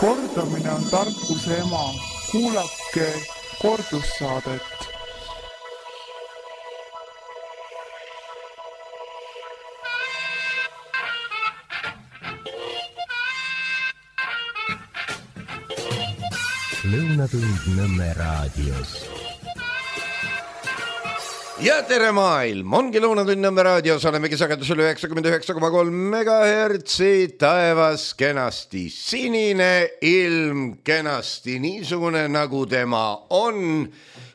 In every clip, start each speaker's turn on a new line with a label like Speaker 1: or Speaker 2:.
Speaker 1: Kordamine on tarkuse ema. Kuulake kordussaadet.
Speaker 2: Lõunatund Nõmme raadios.
Speaker 3: Ja tere maailm, ongi Lõunatund Nõmme raadios, olemegi sagedusel 99,3 megahertsi, taevas kenasti sinine, ilm kenasti niisugune nagu tema on.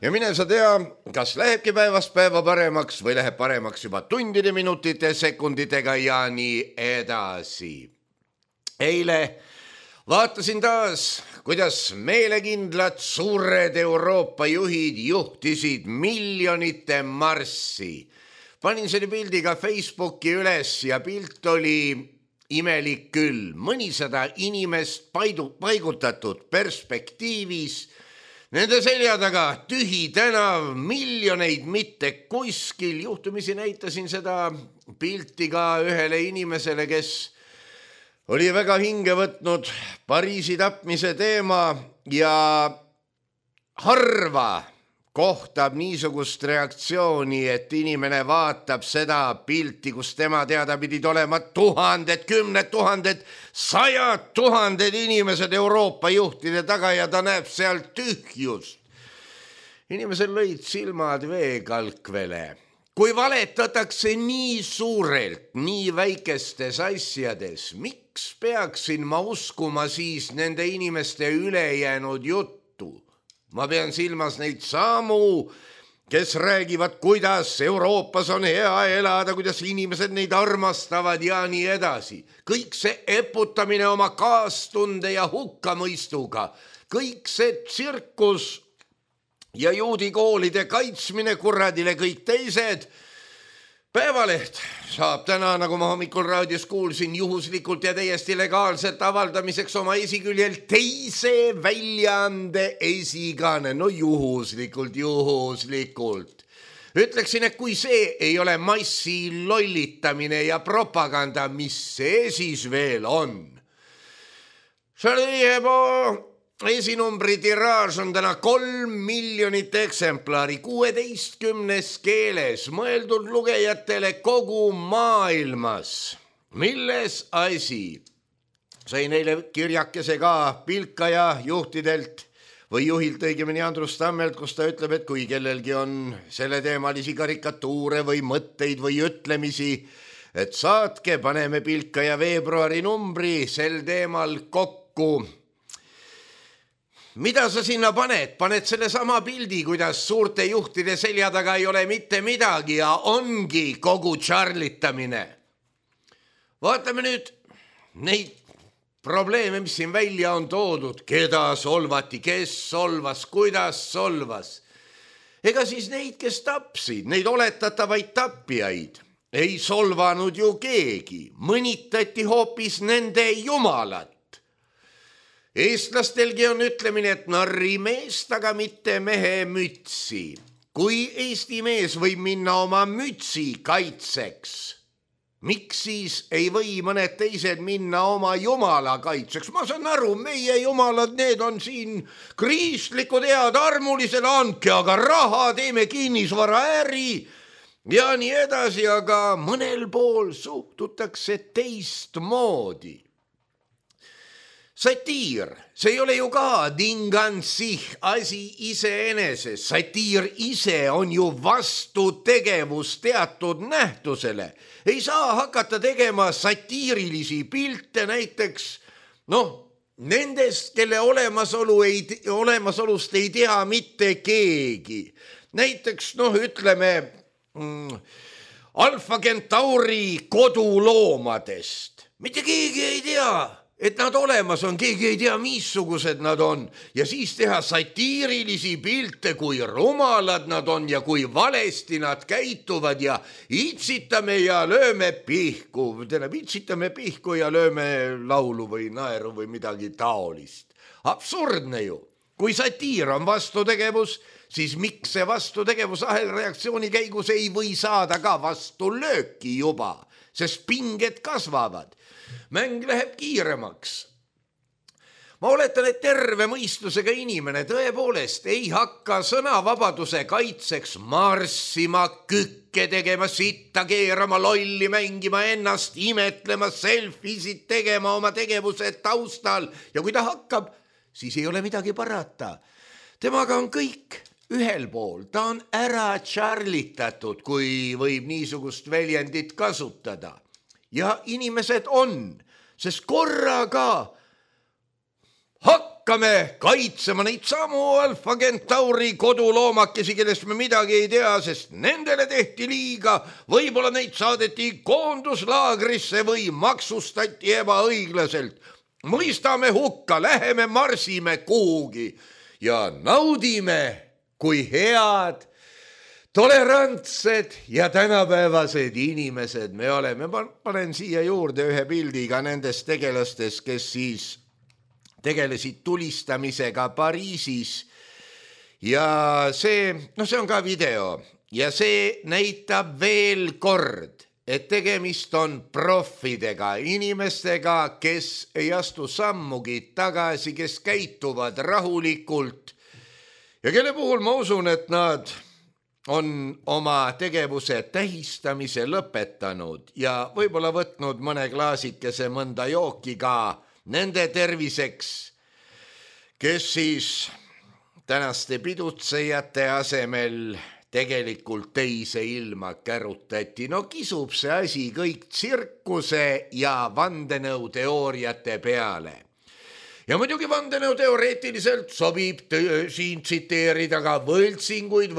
Speaker 3: Ja mine sa tea, kas lähebki päevast päeva paremaks või läheb paremaks juba tundide, minutite, sekunditega ja nii edasi. Eile vaatasin taas, kuidas meelekindlad suured Euroopa juhid juhtisid miljonite marssi. Panin selle pildi ka Facebooki üles ja pilt oli imelik küll. Mõnisada inimest paigutatud perspektiivis. Nende selja taga tühi tänav, miljoneid mitte kuskil. Juhtumisi näitasin seda pilti ka ühele inimesele, kes oli väga hinge võtnud Pariisi tapmise teema ja harva kohtab niisugust reaktsiooni, et inimene vaatab seda pilti, kus tema teada pidid olema tuhanded, kümned tuhanded, 100 000 inimesed Euroopa juhtide taga ja ta näeb seal tühjust. Inimesel lõid silmad veekalkvele. Kui valetatakse nii suurelt, nii väikestes asjades, miks peaksin ma uskuma siis nende inimeste ülejäänud juttu? Ma pean silmas neid samu, kes räägivad, kuidas Euroopas on hea elada, kuidas inimesed neid armastavad ja nii edasi. Kõik see eputamine oma kaastunde ja hukkamõistuga, kõik see tsirkus ja juudikoolide kaitsmine kuradile kõik teised. Päevaleht saab täna, nagu ma hommikul raadios kuulsin, juhuslikult ja täiesti legaalselt avaldamiseks oma esiküljel teise väljaande esikaane. No juhuslikult. Ütleksin, et kui see ei ole massi lollitamine ja propaganda, mis see siis veel on? Charlie Hebdo esinumbri tiraaž on täna 3 miljonit eksemplari 16 keeles, mõeldud lugejatele kogu maailmas. Milles asi? Sain eile kirjakese ka Pilkaja juhtidelt või juhilt õigemini Andrus Tammelt, kus ta ütleb, et kui kellelgi on selle teemalisi karikatuure või mõtteid või ütlemisi, et saatke, paneme Pilkaja veebruari numbri sel teemal kokku. Mida sa sinna paned? Paned selle sama pildi, kuidas suurte juhtide selja taga ei ole mitte midagi ja ongi kogu charlitamine. Vaatame nüüd neid probleeme, mis siin välja on toodud. Keda solvati, kes solvas, kuidas solvas. Ega siis neid, kes tapsid, neid oletatavaid tapjaid, ei solvanud ju keegi. Mõnitati hoopis nende jumalat. Eestlastelgi on ütlemine, et narri meest, aga mitte mehe mütsi. Kui Eesti mees võib minna oma mütsi kaitseks, miks siis ei või mõned teised minna oma jumala kaitseks? Ma saan aru, meie jumalad, need on siin kristlikud head, armulised, andke aga raha, teeme kinnisvaraäri ja nii edasi, aga mõnel pool suhtutakse teistmoodi. Satiir, see ei ole ju ka dingansih asi iseeneses. Satiir ise on ju vastutegevus teatud nähtusele. Ei saa hakata tegema satiirilisi pilte näiteks, nendest, kelle olemasolust ei tea mitte keegi. Näiteks, ütleme, Alfa Centauri koduloomadest. Mitte keegi ei tea, et nad olemas on, keegi ei tea, missugused nad on. Ja siis teha satiirilisi pilte, kui rumalad nad on ja kui valesti nad käituvad ja itsitame ja lööme pihku. Itsitame pihku ja lööme laulu või naeru või midagi taolist. Absurdne ju. Kui satiir on vastutegevus, siis miks see vastutegevus ahelreaktsiooni käigus ei või saada ka vastulööki juba, sest pinged kasvavad. Mäng läheb kiiremaks. Ma oletan, et terve mõistusega inimene tõepoolest ei hakka sõnavabaduse kaitseks marssima, kükke tegema, sitta keerama, lolli mängima, ennast imetlema, selfisid tegema oma tegevuse taustal ja kui ta hakkab, siis ei ole midagi parata. Temaga on kõik ühel pool, ta on ära charlitatud, kui võib niisugust väljendit kasutada. Ja inimesed on, sest korraga hakkame kaitsema neid samu Alfa Centauri koduloomakesi, kellest me midagi ei tea, sest nendele tehti liiga, võib-olla neid saadeti koonduslaagrisse või maksustati ebaõiglaselt. Mõistame hukka, läheme marsime kuhugi ja naudime, kui head, tolerantsed ja tänapäevased inimesed me oleme. Ma panen siia juurde ühe pildiga nendest tegelastest, kes siis tegelesid tulistamisega Pariisis ja see on ka video ja see näitab veel kord, et tegemist on profidega, inimestega, kes ei astu sammugi tagasi, kes käituvad rahulikult ja kelle puhul ma usun, et nad on oma tegevuse tähistamise lõpetanud ja võib-olla võtnud mõne klaasikese mõnda jooki ka nende terviseks, kes siis tänaste pidutsejate asemel tegelikult teise ilma kärutati. No kisub see asi kõik tsirkuse ja vandenõuteooriate peale. Ja muidugi vandenõuteoreetiliselt sobib siin tsiteerida ka võltsinguid,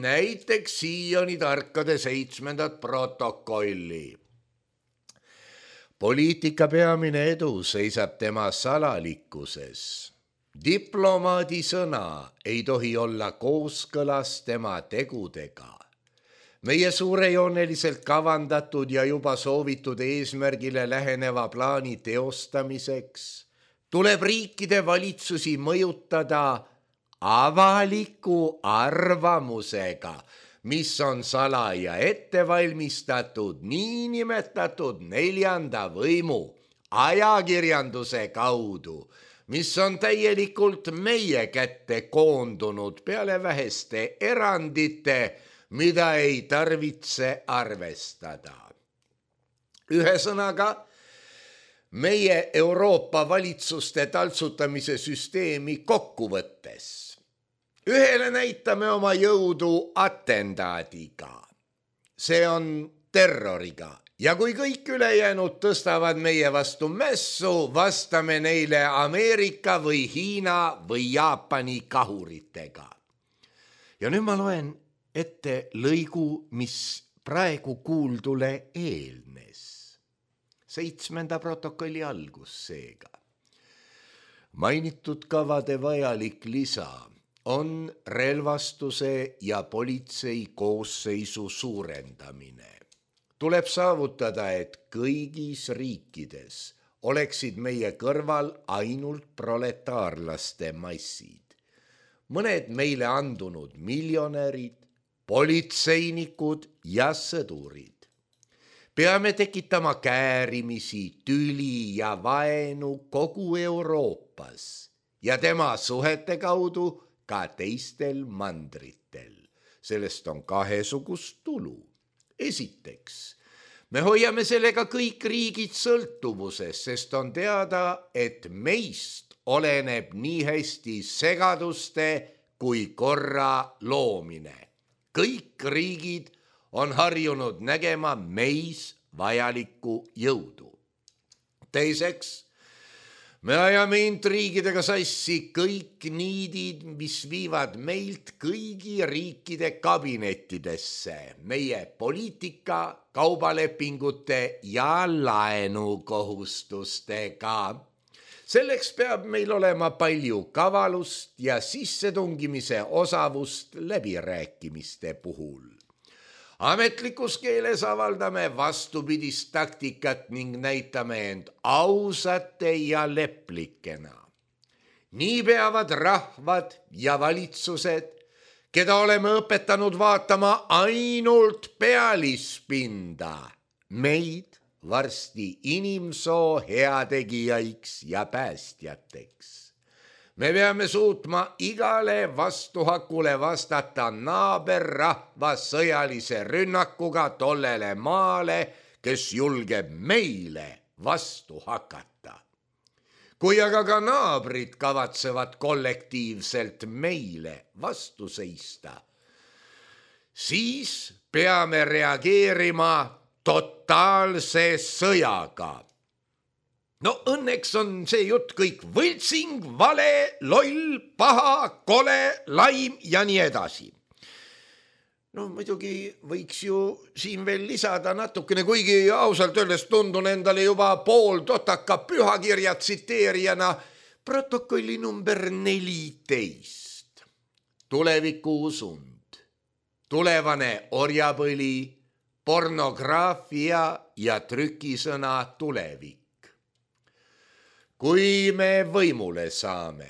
Speaker 3: näiteks Sioni tarkade 7. protokolli. Poliitika peamine edu seisab tema salalikkuses. Diplomaadi sõna ei tohi olla kooskõlas tema tegudega. Meie suurejooneliselt kavandatud ja juba soovitud eesmärgile läheneva plaani teostamiseks tuleb riikide valitsusi mõjutada avaliku arvamusega, mis on salaja ettevalmistatud niinimetatud 4. võimu ajakirjanduse kaudu, mis on täielikult meie kätte koondunud peale väheste erandite, mida ei tarvitse arvestada. Ühesõnaga, meie Euroopa valitsuste taltsutamise süsteemi kokkuvõttes. Ühele näitame oma jõudu atendaadiga. See on terroriga. Ja kui kõik ülejäänud tõstavad meie vastu mässu, vastame neile Ameerika või Hiina või Jaapani kahuritega. Ja nüüd ma loen ette lõigu, mis praegu kuuldule eelnes. 7. protokolli algus seega. Mainitud kavade vajalik lisa on relvastuse ja politsei koosseisu suurendamine. Tuleb saavutada, et kõigis riikides oleksid meie kõrval ainult proletaarlaste massid. Mõned meile andunud miljonärid, politseinikud ja sõdurid. Peame tekitama käärimisi, tüli ja vaenu kogu Euroopas ja tema suhete kaudu ka teistel mandritel. Sellest on kahesugust tulu. Esiteks, me hoiame sellega kõik riigid sõltuvuses, sest on teada, et meist oleneb nii hästi segaduste kui korra loomine. Kõik riigid on harjunud nägema meis vajalikku jõudu. Teiseks, me ajame intriigidega sassi kõik niidid, mis viivad meilt kõigi riikide kabinettidesse, meie poliitika, kaubalepingute ja laenukohustustega. Selleks peab meil olema palju kavalust ja sissetungimise osavust läbirääkimiste puhul. Ametlikus keeles avaldame vastupidist taktikat ning näitame end ausate ja leplikena. Nii peavad rahvad ja valitsused, keda oleme õpetanud vaatama ainult pealispinda, meid varsti inimsoo heategijaiks ja päästjateks. Me peame suutma igale vastuhakule vastata naaberrahva sõjalise rünnakuga tollele maale, kes julgeb meile vastu hakata. Kui aga ka naabrid kavatsevad kollektiivselt meile vastu seista, siis peame reageerima totaalse sõjaga. No õnneks on see jutt kõik võltsing, vale, loll, paha, kole, laim ja nii edasi. No muidugi võiks ju siin veel lisada natukene, kuigi ausalt öeldes tundun endale juba pool totaka pühakirja tsiteerijana protokolli number 14. Tulevikuusund, tulevane orjapõli, pornograafia ja trükisõna tulevik. Kui me võimule saame,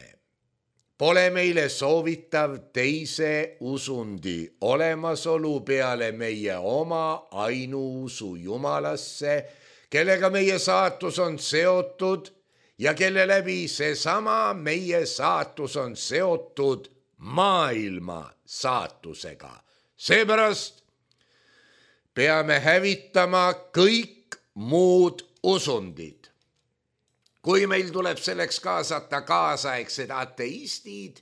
Speaker 3: pole meile soovitav teise usundi olemasolu peale meie oma ainuusu Jumalasse, kellega meie saatus on seotud ja kelle läbi seesama meie saatus on seotud maailma saatusega. Seepärast peame hävitama kõik muud usundid. Kui meil tuleb selleks kaasata kaasaegsed ateistid,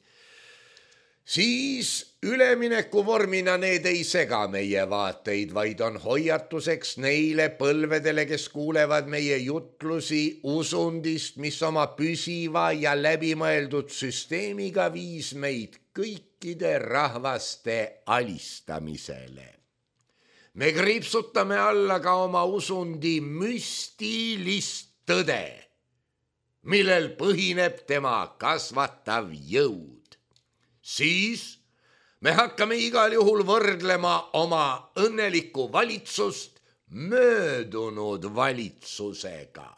Speaker 3: siis üleminekuvormina need ei sega meie vaateid, vaid on hoiatuseks neile põlvedele, kes kuulevad meie jutlusi usundist, mis oma püsiva ja läbimõeldud süsteemiga viis meid kõikide rahvaste alistamisele. Me kriipsutame alla ka oma usundi müstilist tõde, millel põhineb tema kasvatav jõud. Siis me hakkame igal juhul võrdlema oma õnnelikku valitsust möödunud valitsusega.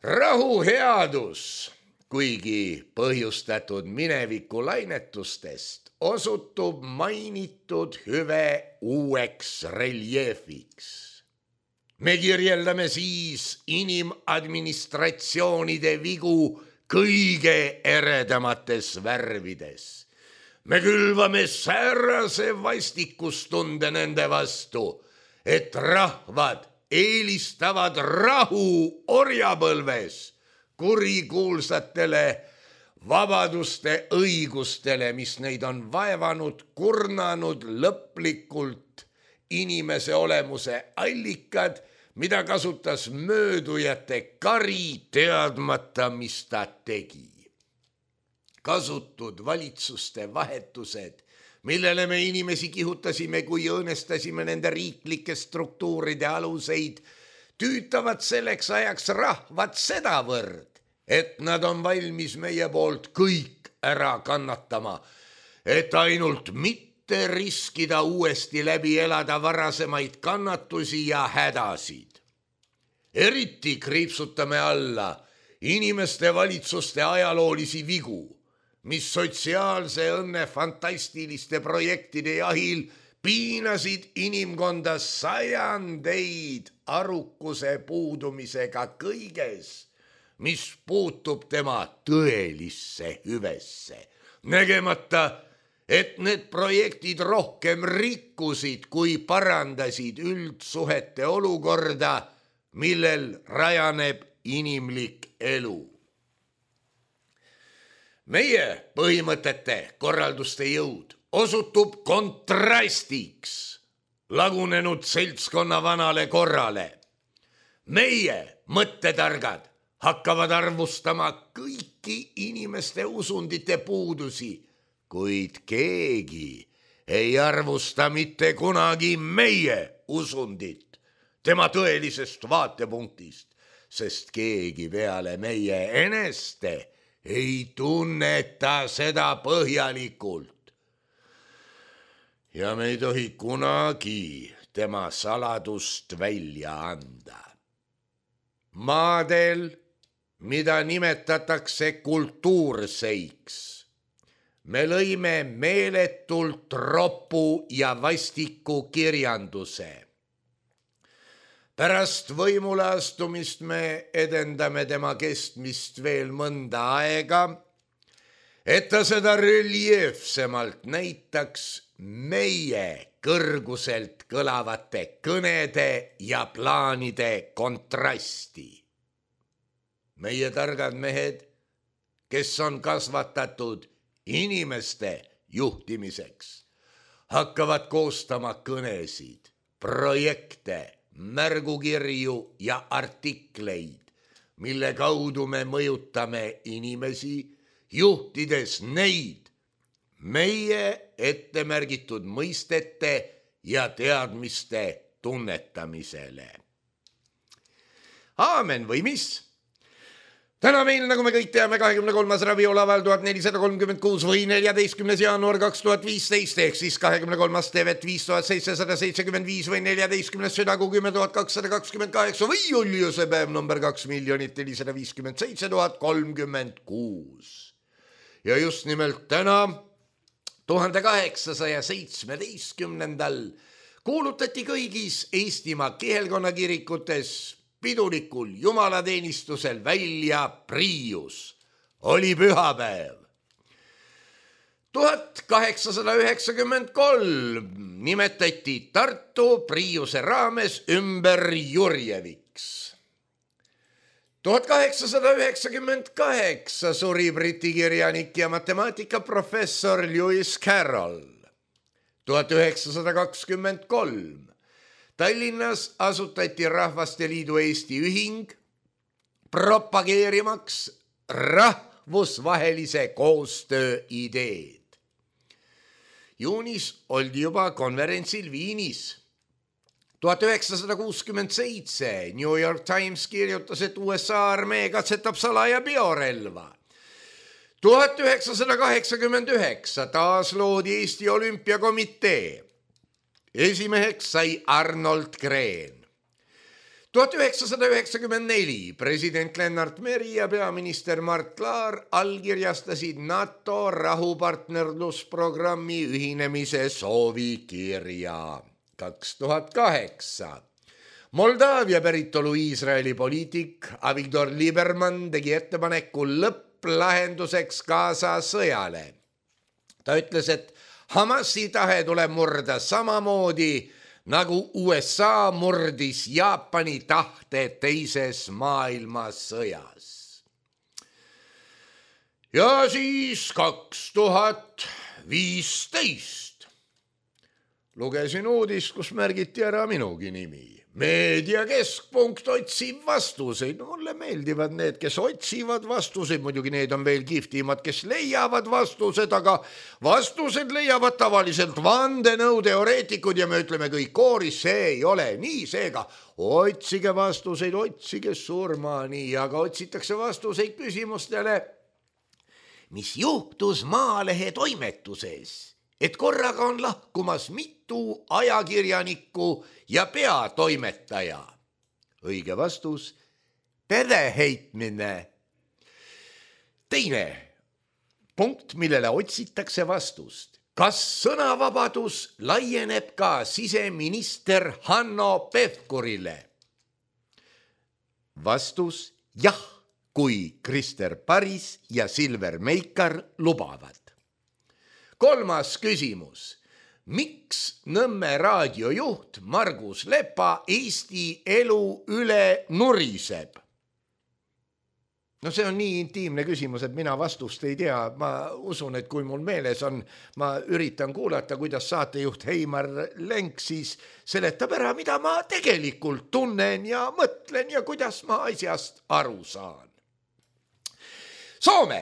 Speaker 3: Rahuheadus, kuigi põhjustatud mineviku lainetustest, osutub mainitud hüve uueks reljeefiks. Me kirjeldame siis inimadministratsioonide vigu kõige eredamates värvides. Me külvame säärase vastikustunde nende vastu, et rahvad eelistavad rahu orjapõlves kurikuulsatele vabaduste õigustele, mis neid on vaevanud, kurnanud lõplikult inimese olemuse allikad, mida kasutas möödujate kari teadmata, mis ta tegi. Kasutud valitsuste vahetused, millele me inimesi kihutasime, kui õõnestasime nende riiklike struktuuride aluseid, tüütavad selleks ajaks rahvad sedavõrd, et nad on valmis meie poolt kõik ära kannatama, et ainult mitte riskida uuesti läbi elada varasemaid kannatusi ja hädasid. Eriti kriipsutame alla inimeste valitsuste ajaloolisi vigu, mis sotsiaalse õnne fantastiliste projektide jahil piinasid inimkonda sajandeid arukuse puudumisega kõiges, mis puutub tema tõelisse hüvesse, nägemata, et need projektid rohkem rikkusid, kui parandasid üldsuhete olukorda, millel rajaneb inimlik elu. Meie põhimõtete korralduste jõud osutub kontrastiks lagunenud seltskonna vanale korrale. Meie mõttetargad hakkavad arvustama kõiki inimeste usundite puudusi, kuid keegi ei arvusta mitte kunagi meie usundit tema tõelisest vaatepunktist, sest keegi peale meie eneste ei tunneta seda põhjalikult. Ja me ei tohi kunagi tema saladust välja anda. Maadel, mida nimetatakse kultuurseiks, me lõime meeletult ropu ja vastiku kirjanduse. Pärast võimule astumist me edendame tema kestmist veel mõnda aega, et ta seda reljeefsemalt näitaks meie kõrguselt kõlavate kõnede ja plaanide kontrasti. Meie targad mehed, kes on kasvatatud inimeste juhtimiseks, hakkavad koostama kõnesid, projekte, märgukirju ja artikleid, mille kaudu me mõjutame inimesi, juhtides neid meie ettemärgitud mõistete ja teadmiste tunnetamisele. Aamen või mis? Täna meil, nagu me kõik teame, 23. rabiolaval 1436 või 14. jaanuar 2015 ehk siis 23. tevet 5775 või 14. südakuu 10.228 või Juliuse päev number 2,457,036. Ja just nimelt täna 1817. kuulutati kõigis Eestimaa kihelkonnakirikutes pidulikul jumalateenistusel välja Priius. Oli pühapäev. 1893 nimetati Tartu Priiuse raames ümber Jurjeviks. 1898 suri briti kirjanik ja matemaatikaprofessor Lewis Carroll. 1923 Tallinnas asutati Rahvaste Liidu Eesti ühing propageerimaks rahvusvahelise koostöö ideed. Juunis oldi juba konverentsil Viinis. 1967 New York Times kirjutas, et USA armee katsetab salaja biorelva. 1989 taas loodi Eesti Olümpiakomitee. Esimeheks sai Arnold Green. 1994 president Lennart Meri ja peaminister Mart Laar allkirjastasid NATO rahupartnerlusprogrammi ühinemise soovikirja. 2008 Moldaavia päritolu Iisraeli poliitik Avigdor Lieberman tegi ettepaneku lõpplahenduseks Gaza sõjale. Ta ütles, et Hamasi tahe tuleb murda samamoodi, nagu USA murdis Jaapani tahte teises maailmasõjas. Ja siis 2015 lugesin uudist, kus märgiti ära minugi nimi. Meediakeskpunkt otsib vastuseid. Mulle meeldivad need, kes otsivad vastuseid. Muidugi need on veel kihvtimad, kes leiavad vastused, aga vastused leiavad tavaliselt vandenõuteoreetikud ja me ütleme kõik kooris, see ei ole nii. Seega otsige vastuseid, otsige surmani, aga otsitakse vastuseid küsimustele, mis juhtus Maalehe toimetuses, et korraga on lahkumas mitu ajakirjanikku ja peatoimetaja. Õige vastus, pedeheitmine. Teine punkt, millele otsitakse vastust. Kas sõnavabadus laieneb ka siseminister Hanno Pevkurile? Vastus, jah, kui Krister Paris ja Silver Meikar lubavad. Kolmas küsimus. Miks Nõmme raadiojuht Margus Lepa Eesti elu üle nuriseb? No see on nii intiimne küsimus, et mina vastust ei tea. Ma usun, et kui mul meeles on, ma üritan kuulata, kuidas saatejuht Heimar Lenk siis seletab ära, mida ma tegelikult tunnen ja mõtlen ja kuidas ma asjast aru saan. Soome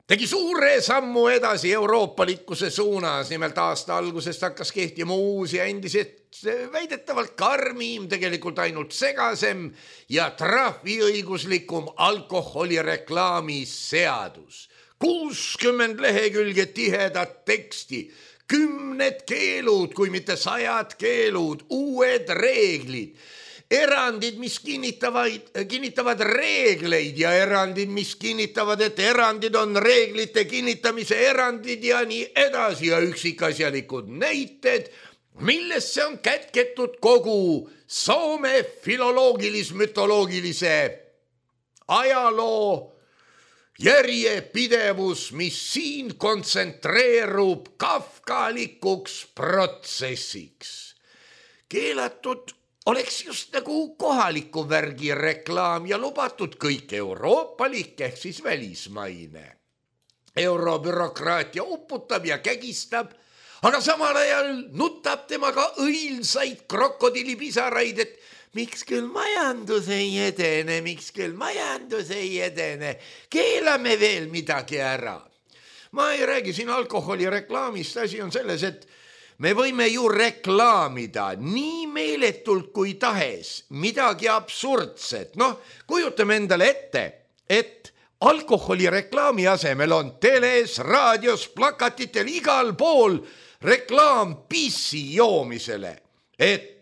Speaker 3: tegi suure sammu edasi euroopalikkuse suunas. Nimelt aasta algusest hakkas kehtima uus ja endiselt väidetavalt karmim, tegelikult ainult segasem ja trahviõiguslikum alkoholireklaami seadus. 60 lehekülge tihedat teksti, 10 keelud, kui mitte 100 keelud, uued reeglid. Erandid, mis kinnitavad reegleid ja erandid, mis kinnitavad, et erandid on reeglite kinnitamise erandid ja nii edasi ja üksikasjalikud näited millesse on kätketud kogu Soome filoloogilis-mütoloogilise ajaloo järjepidevus, mis siin kontsentreerub kafkalikuks protsessiks. Keelatud oleks just nagu kohaliku värgi reklaam ja lubatud kõik euroopalik ehk siis välismaine. Eurobürokraatia uputab ja kägistab, aga samal ajal nutab temaga õilsaid krokodillipisaraid, et miks küll majandus ei edene, keelame veel midagi ära. Ma ei räägi siin alkoholireklaamist, asi on selles, et me võime ju reklaamida nii meeletult kui tahes midagi absurdset. Kujutame endale ette, et alkoholireklaami asemel on teles, raadios, plakatitel igal pool reklaam pissi joomisele, et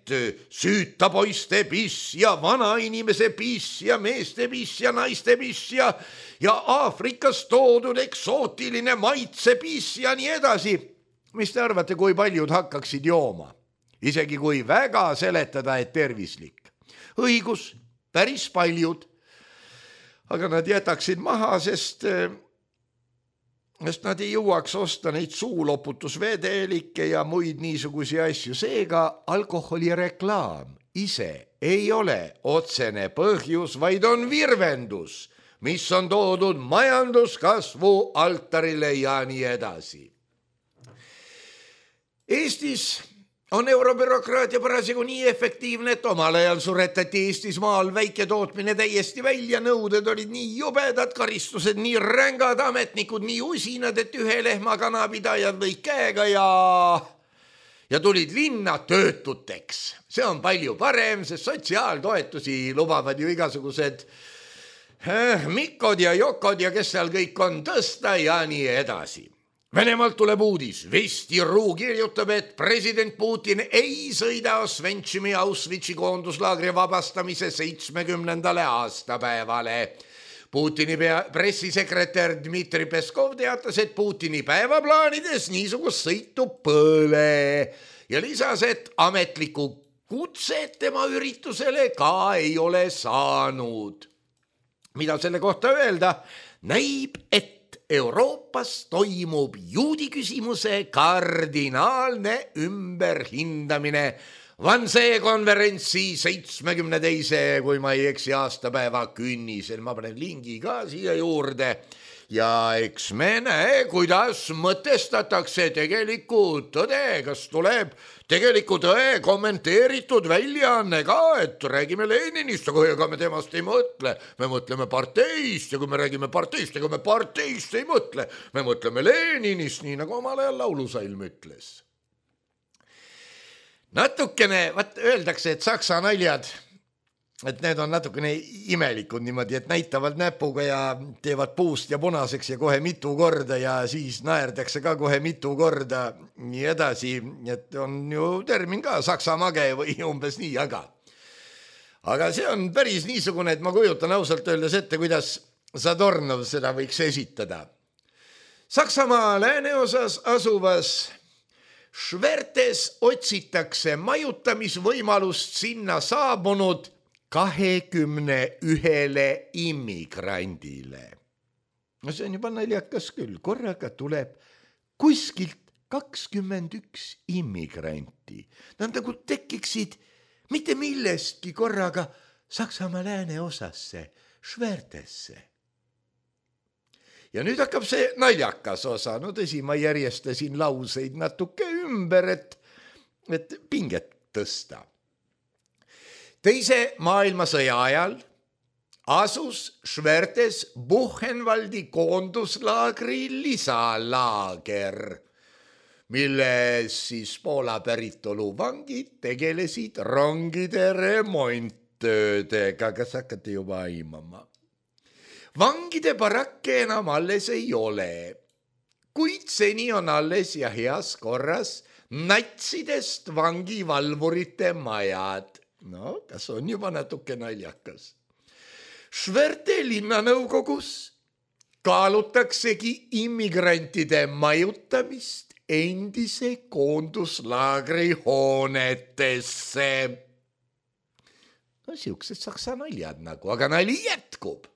Speaker 3: süüta poiste piss ja vanainimese piss ja meeste piss ja naiste piss ja Aafrikast toodud eksootiline maitse piss ja nii edasi. Mis te arvate, kui paljud hakkaksid jooma? Isegi kui väga seletada, et tervislik. Õigus, päris paljud. Aga nad jätaksid maha, sest nad ei jõuaks osta neid suuloputusvedelikke ja muid niisugusi asju. Seega alkoholireklaam ise ei ole otsene põhjus, vaid on virvendus, mis on toodud majanduskasvu altarile ja nii edasi. Eestis on eurobürokraatia parasjagu nii efektiivne, et omal ajal suretati Eestis maal väiketootmine täiesti välja, nõuded olid nii jubedad, karistused nii rängad, ametnikud nii usinad, et ühe lehma kanapidajad lõid käega ja tulid linna töötuteks. See on palju parem, sest sotsiaaltoetusi lubavad ju igasugused Mikkod ja Jokod ja kes seal kõik on tõsta ja nii edasi. Venemaalt tuleb uudis. Vestiruu kirjutab, et president Putin ei sõida Osventsimi Auschwitzi koonduslaagri vabastamise 70. aastapäevale. Putini pressisekretär Dmitri Peskov teatas, et Putini päevaplaanides niisugust sõitu pole ja lisas, et ametlikku kutset tema üritusele ka ei ole saanud. Mida selle kohta öelda? Näib, et Euroopas toimub juudi küsimuse kardinaalne ümberhindamine Wannsee konverentsi 72. kui ma ei eksi aastapäeva künnisel. Ma panen lingi ka siia juurde ja eks me näe, kuidas mõtestatakse tegelikku tõde, kas tuleb tegeliku tõe kommenteeritud väljaanne ka, et räägime Leninist, aga ega me temast ei mõtle, me mõtleme parteist ja kui me räägime parteist, ega me parteist ei mõtle, me mõtleme Leninist, nii nagu omal ajal laulusalm ütles. Natukene, öeldakse, et saksa naljad, et need on natukene imelikud niimoodi, et näitavad näpuga ja teevad puust ja punaseks ja kohe mitu korda ja siis naerdakse ka kohe mitu korda nii edasi, et on ju termin ka saksa mage või umbes nii, aga see on päris niisugune, et ma kujutan ausalt öeldes ette, kuidas Zadornov seda võiks esitada. Saksamaa lääneosas asuvas Schwertes otsitakse majutamisvõimalust sinna saabunud 21 immigrandile. No see on juba naljakas küll, korraga tuleb kuskilt 21 immigranti. Nad nagu tekiksid mitte millestki korraga Saksamaa lääneosasse, Schwertesse. Ja nüüd hakkab see naljakas osa. No tõsi, ma järjestasin lauseid natuke ümber, et pinget tõsta. Teise maailmasõja ajal asus Schwertes Buchenwaldi koonduslaagri lisalaager, milles siis Poola päritolu vangid tegelesid rongide remonttöödega. Kas hakkate juba aimama? Vangide barakke enam alles ei ole, kuid seni on alles ja heas korras natsidest vangivalvurite majad. No, kas on juba natuke naljakas? Schwerte linnanõukogus kaalutaksegi immigrantide majutamist endise koonduslaagri hoonetesse. No siuksed saksa naljad nagu, aga nali jätkub.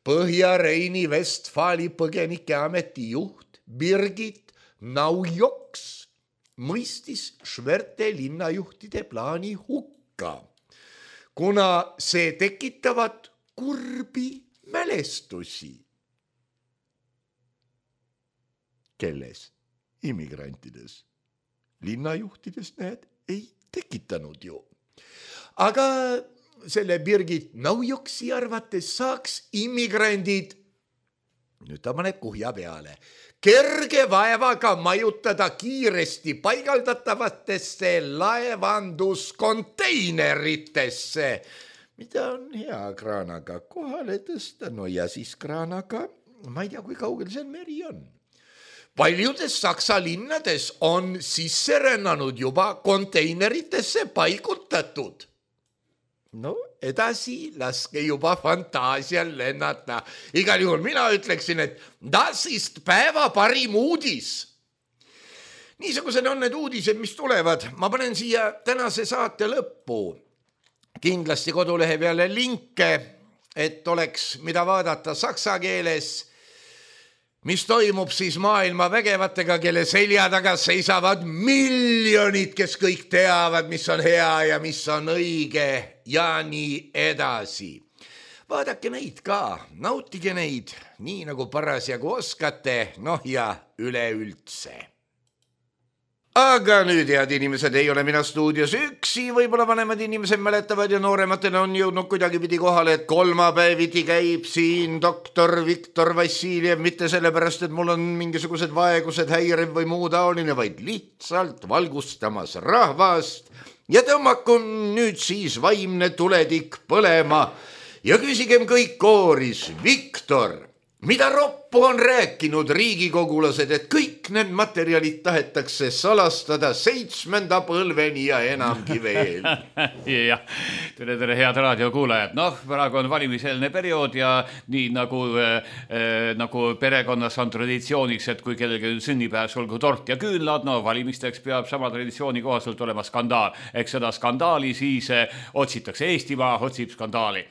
Speaker 3: Põhja-Reini Vestfaali põgenikeameti juht Birgit Naujoks mõistis Šverte linnajuhtide plaani hukka, kuna see tekitavad kurbi mälestusi. Kelles? Immigrantides. Linnajuhtides näed ei tekitanud ju. Aga selle Birgit Naujoksi arvates saaks immigrandid, nüüd ta paneb kuhja peale, kerge vaevaga majutada kiiresti paigaldatavatesse laevanduskonteineritesse, mida on hea kraanaga kohale tõsta, no ja siis kraanaga, ma ei tea, kui kaugel see meri on. Paljudes Saksa linnades on sisse rännanud juba konteineritesse paigutatud. No edasi laske juba fantaasial lennata. Igal juhul mina ütleksin, et das ist päeva parim uudis. Niisugused on need uudised, mis tulevad. Ma panen siia tänase saate lõppu kindlasti kodulehe peale linke, et oleks mida vaadata saksa keeles, mis toimub siis maailma vägevatega, kelle selja taga seisavad miljonid, kes kõik teavad, mis on hea ja mis on õige ja nii edasi. Vaadake neid ka, nautige neid, nii nagu parasjagu oskate, noh ja üleüldse. Aga nüüd, head inimesed, ei ole mina stuudios üksi, võib-olla vanemad inimesed mäletavad ja noorematele on jõudnud kuidagipidi kohale, et kolmapäeviti käib siin doktor Viktor Vassiljev, mitte sellepärast, et mul on mingisugused vaegused, häirev või muu taoline, vaid lihtsalt valgustamas rahvast ja tõmmaku nüüd siis vaimne tuletik põlema ja küsigem kõik kooris, Viktor, mida roppu on rääkinud riigikogulased, et kõik need materjalid tahetakse salastada 7. põlveni ja enamgi veel?
Speaker 4: Jah, tere head raadiokuulajad. Noh, praegu on valimiseelne periood ja nii nagu perekonnas on traditsiooniks, et kui kellelgi sünnipäev, olgu tort ja küünlad, no valimisteks peab sama traditsiooni kohaselt olema skandaal. Eks seda skandaali siis otsitakse, Eestimaa otsib skandaali.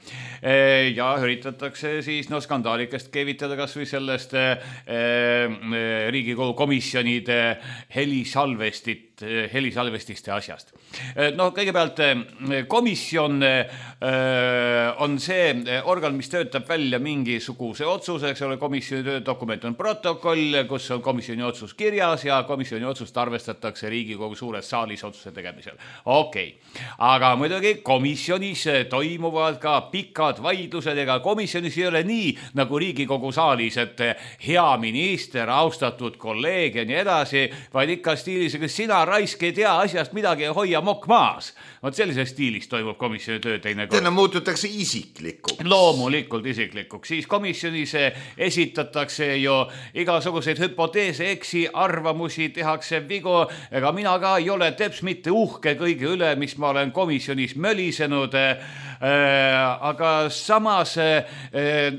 Speaker 4: Ja üritatakse siis skandaalikest keevitada kas või sellest Riigikogu komisjonide helisalvestiste asjast. No kõigepealt komisjon on see organ, mis töötab välja mingisuguse otsuse, eks ole, komisjoni töödokument on protokoll, kus on komisjoni otsus kirjas ja komisjoni otsust arvestatakse Riigikogu suures saalis otsuse tegemisel. Okei. Aga muidugi komisjonis toimuvad ka pikad vaidlused, ega komisjonis ei ole nii nagu Riigikogu saalis, et hea minister, austatud kolleeg ja nii edasi, vaid ikka stiilis, et sina raisk ei tea asjast midagi ja hoia mokk maas. Vot sellises stiilis toimub komisjoni töö teine kord.
Speaker 3: Täna muututakse isiklikuks.
Speaker 4: Loomulikult isiklikuks. Siis komisjonis esitatakse ju igasuguseid hüpoteese, eksi, arvamusi, tehakse vigu. Ega mina ka ei ole teps mitte uhke kõige üle, mis ma olen komisjonis mölisenud. Aga samas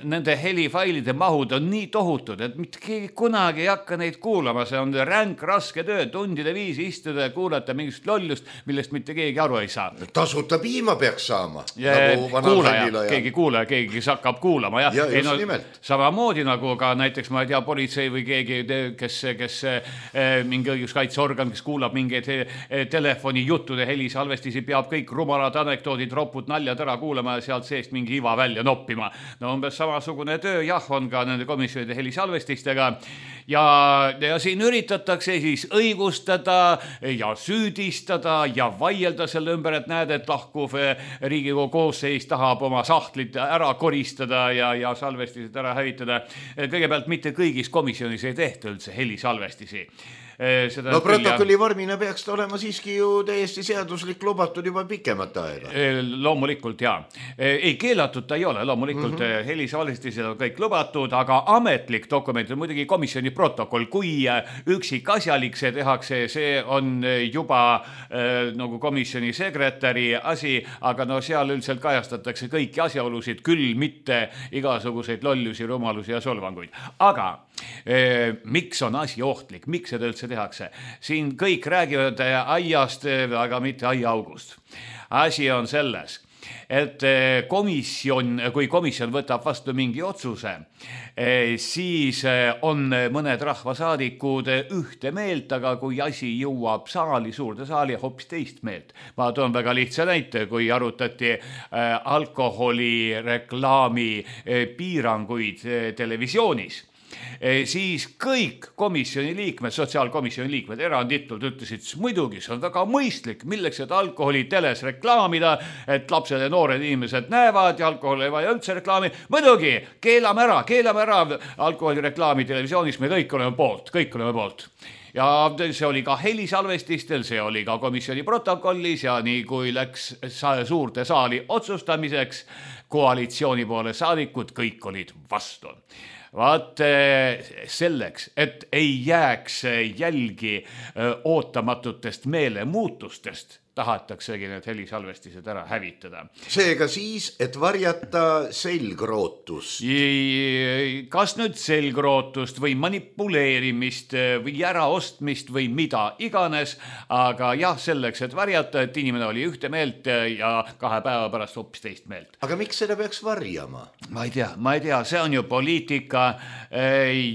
Speaker 4: nende helifailide mahud on nii tohutud, et mitte keegi kunagi ei hakka neid kuulama. See on ränk, raske töö, tundide viisi istuda ja kuulata mingist lollust, millest mitte keegi aru ei saa.
Speaker 3: Tasuta piima peaks saama.
Speaker 4: Keegi kuulaja, keegi, kes hakkab kuulama.
Speaker 3: Ja just nimelt.
Speaker 4: Samamoodi nagu ka näiteks, ma ei tea, politsei või keegi, kes mingi õiguskaitseorgan, kes kuulab mingeid telefoni juttude helisalvestisi, peab kõik rumalad anekdoodid, ropud, naljad ära kuulama ja sealt seest mingi iva välja noppima. No umbes samasugune töö, jah, on ka nende komisjonide helisalvestistega ja siin üritatakse siis õigustada ja süüdistada ja vaielda selle ümber, et näed, et lahkuv Riigikogu koosseis tahab oma sahtlit ära koristada ja salvestised ära hävitada. Kõigepealt mitte kõigis komisjonis ei tehta üldse helisalvestisi.
Speaker 3: No protokolli vormina peaks ta olema siiski ju täiesti seaduslik lubatud juba pikemat aega.
Speaker 4: Loomulikult, jaa. Ei, keelatud ta ei ole, loomulikult helisalvestised on kõik lubatud, aga ametlik dokument on muidugi komisjoni protokoll. Kui üksik asjalik see tehakse, see on juba nagu komisjoni sekretäri asi, aga no seal üldiselt kajastatakse kõiki asjaolusid, küll mitte igasuguseid lollusi, rumalusi ja solvanguid. Aga miks on asi ohtlik, miks seda üldse tehakse. Siin kõik räägivad aiast, aga mitte aiaaugust. Asi on selles, et kui komisjon võtab vastu mingi otsuse, siis on mõned rahvasaadikud ühte meelt, aga kui asi jõuab saali, suurde saali, hoopis teist meelt. Ma toon väga lihtsa näite, kui arutati alkoholireklaami piiranguid televisioonis, siis kõik komisjoni liikmed, sotsiaalkomisjoni liikmed eranditult ütlesid, muidugi see on väga mõistlik, milleks et alkoholi teles reklaamida, et lapsed ja noored inimesed näevad ja alkohol ei vaja üldse reklaami. Muidugi, keelame ära alkoholireklaami televisioonis, me kõik oleme poolt. Ja see oli ka helisalvestistel, see oli ka komisjoni protokollis ja nii kui läks suurde saali otsustamiseks, koalitsiooni poole saadikud, kõik olid vastu. Vaat selleks, et ei jääks jälgi ootamatutest meelemuutustest, tahataksegi need helisalvestised ära hävitada.
Speaker 3: Seega siis, et varjata selgrootust.
Speaker 4: Kas nüüd selgrootust või manipuleerimist või äraostmist või mida iganes, aga jah, selleks, et varjata, et inimene oli ühte meelt ja 2 päeva pärast hoopis teist meelt.
Speaker 3: Aga miks seda peaks varjama?
Speaker 4: Ma ei tea, see on ju poliitika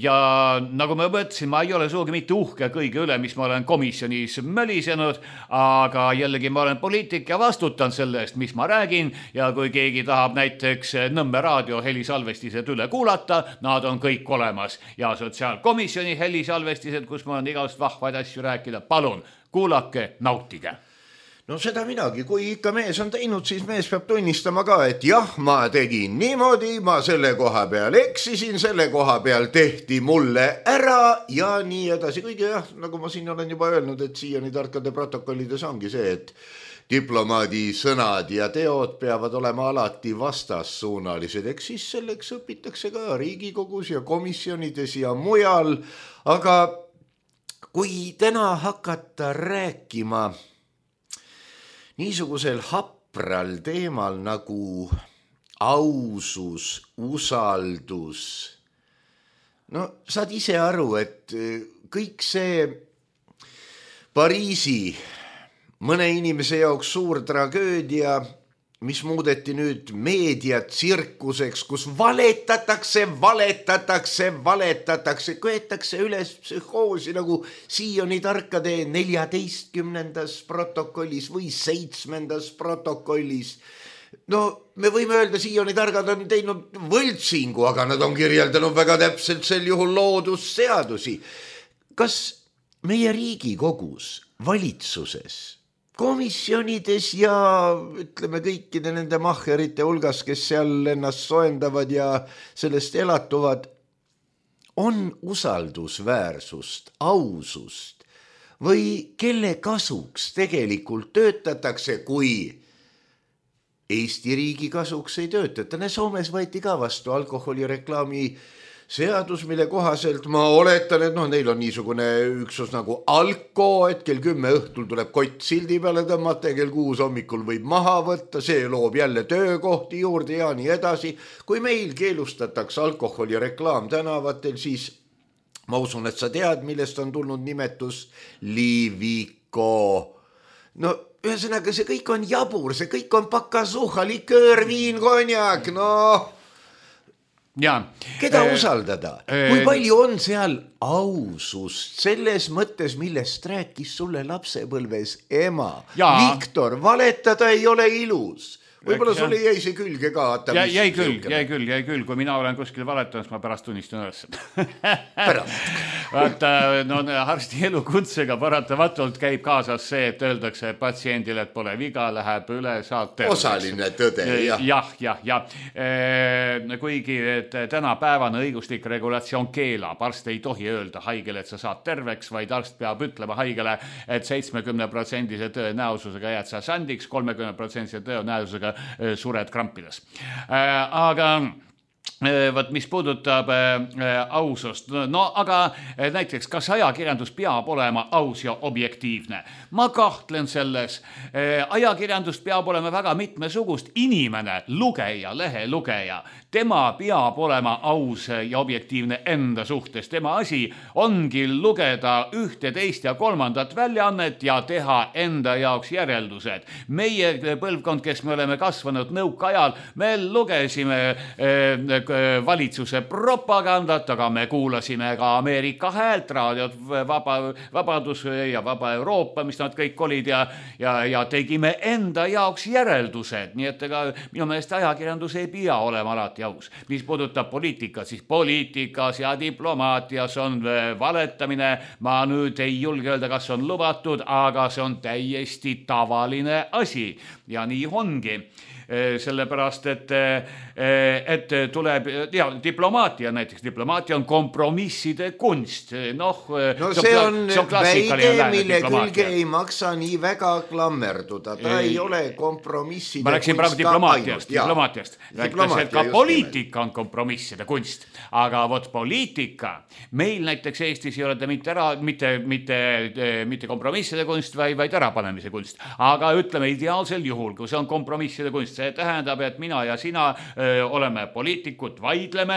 Speaker 4: ja nagu ma mõtlesin, ma ei ole suugi mitte uhke kõige üle, mis ma olen komisjonis mölisenud, aga jällegi ma olen poliitik ja vastutan selle eest, mis ma räägin ja kui keegi tahab näiteks Nõmme raadio helisalvestised üle kuulata, nad on kõik olemas ja sotsiaalkomisjoni helisalvestised, kus ma olen igast vahvaid asju rääkida, palun, kuulake, nautige.
Speaker 3: No seda minagi, kui ikka mees on teinud, siis mees peab tunnistama ka, et jah, ma tegin niimoodi, ma selle koha peal eksisin, selle koha peal tehti mulle ära ja nii edasi. Kuigi jah, nagu ma siin olen juba öelnud, et siiani tarkade protokollides ongi see, et diplomaadi sõnad ja teod peavad olema alati vastassuunalised. Eks siis selleks õpitakse ka Riigikogus ja komisjonides ja mujal. Aga kui täna hakata rääkima niisugusel hapral teemal nagu ausus, usaldus. No saad ise aru, et kõik see Pariisi mõne inimese jaoks suur tragöödia, mis muudeti nüüd meediatsirkuseks, kus valetatakse, köetakse üles psühhoosi nagu Sioni tarkade 14. protokollis või 7. protokollis. No me võime öelda, Sioni targad on teinud võltsingu, aga nad on kirjeldanud väga täpselt sel juhul loodusseadusi. Kas meie Riigikogus, valitsuses, komisjonides ja ütleme kõikide nende mahherite hulgas, kes seal ennast soendavad ja sellest elatuvad, on usaldusväärsust, ausust või kelle kasuks tegelikult töötatakse, kui Eesti riigi kasuks ei töötata. Soomes võeti ka vastu alkoholireklaami seadus, mille kohaselt ma oletan, et neil on niisugune üksus nagu Alko, et kell 10 õhtul tuleb kott sildi peale tõmmata ja kell 6 hommikul võib maha võtta, see loob jälle töökohti juurde ja nii edasi. Kui meil keelustatakse alkoholireklaam tänavatel, siis ma usun, et sa tead, millest on tulnud nimetus Liviko. No ühesõnaga, see kõik on jabur, see kõik on pakasuha, liköör, viin, konjak,
Speaker 4: Ja,
Speaker 3: keda usaldada? Kui palju on seal ausust selles mõttes, millest rääkis sulle lapsepõlves ema? Viktor, valetada ei ole ilus. Võib-olla sulle jäi see külge ka.
Speaker 4: Jäi küll. Kui mina olen kuskil valetanud, ma pärast tunnistan üles. Vaata, arsti elukutsega paratamatult käib kaasas see, et öeldakse patsiendile, et pole viga, läheb üle, saad terveks.
Speaker 3: Osaline tõde, jah.
Speaker 4: Jah. Kuigi tänapäevane õiguslik regulatsioon keelab, arst ei tohi öelda haigele, et sa saad terveks, vaid arst peab ütlema haigele, et 70% tõenäosusega jääd sa sandiks, 30% tõenäosusega sured krampides. Aga Võt, mis puudutab ausust. No aga näiteks, kas ajakirjandus peab olema aus ja objektiivne? Ma kahtlen selles. Ajakirjandus peab olema väga mitmesugust. Inimene, lugeja, lehelugeja, tema peab olema aus ja objektiivne enda suhtes. Tema asi ongi lugeda ühte, teist ja kolmandat väljaannet ja teha enda jaoks järeldused. Meie põlvkond, kes me oleme kasvanud nõukaajal, me lugesime valitsuse propagandat, aga me kuulasime ka Ameerika Häält, raadiot Vabadus ja Vaba Euroopa, mis nad kõik olid ja tegime enda jaoks järeldused. Nii et ega minu meelest ajakirjandus ei pea olema alati aus. Mis puudutab poliitikat, siis poliitikas ja diplomaatias on valetamine. Ma nüüd ei julge öelda, kas on lubatud, aga see on täiesti tavaline asi ja nii ongi. Sellepärast, et tuleb diplomaatia näiteks. Diplomaatia on kompromisside kunst.
Speaker 3: No see on väide, mille külge ei maksa nii väga klammerduda. Ta ei ole kompromisside kunst.
Speaker 4: Ma rääksin praegu diplomaatiast. Rääkides, et ka poliitika on kompromisside kunst. Aga vot poliitika, meil näiteks Eestis ei ole ta mitte kompromisside kunst, vaid ärapanemise kunst. Aga ütleme ideaalsel juhul, kui see on kompromisside kunst, see tähendab, et mina ja sina oleme poliitikud, vaidleme,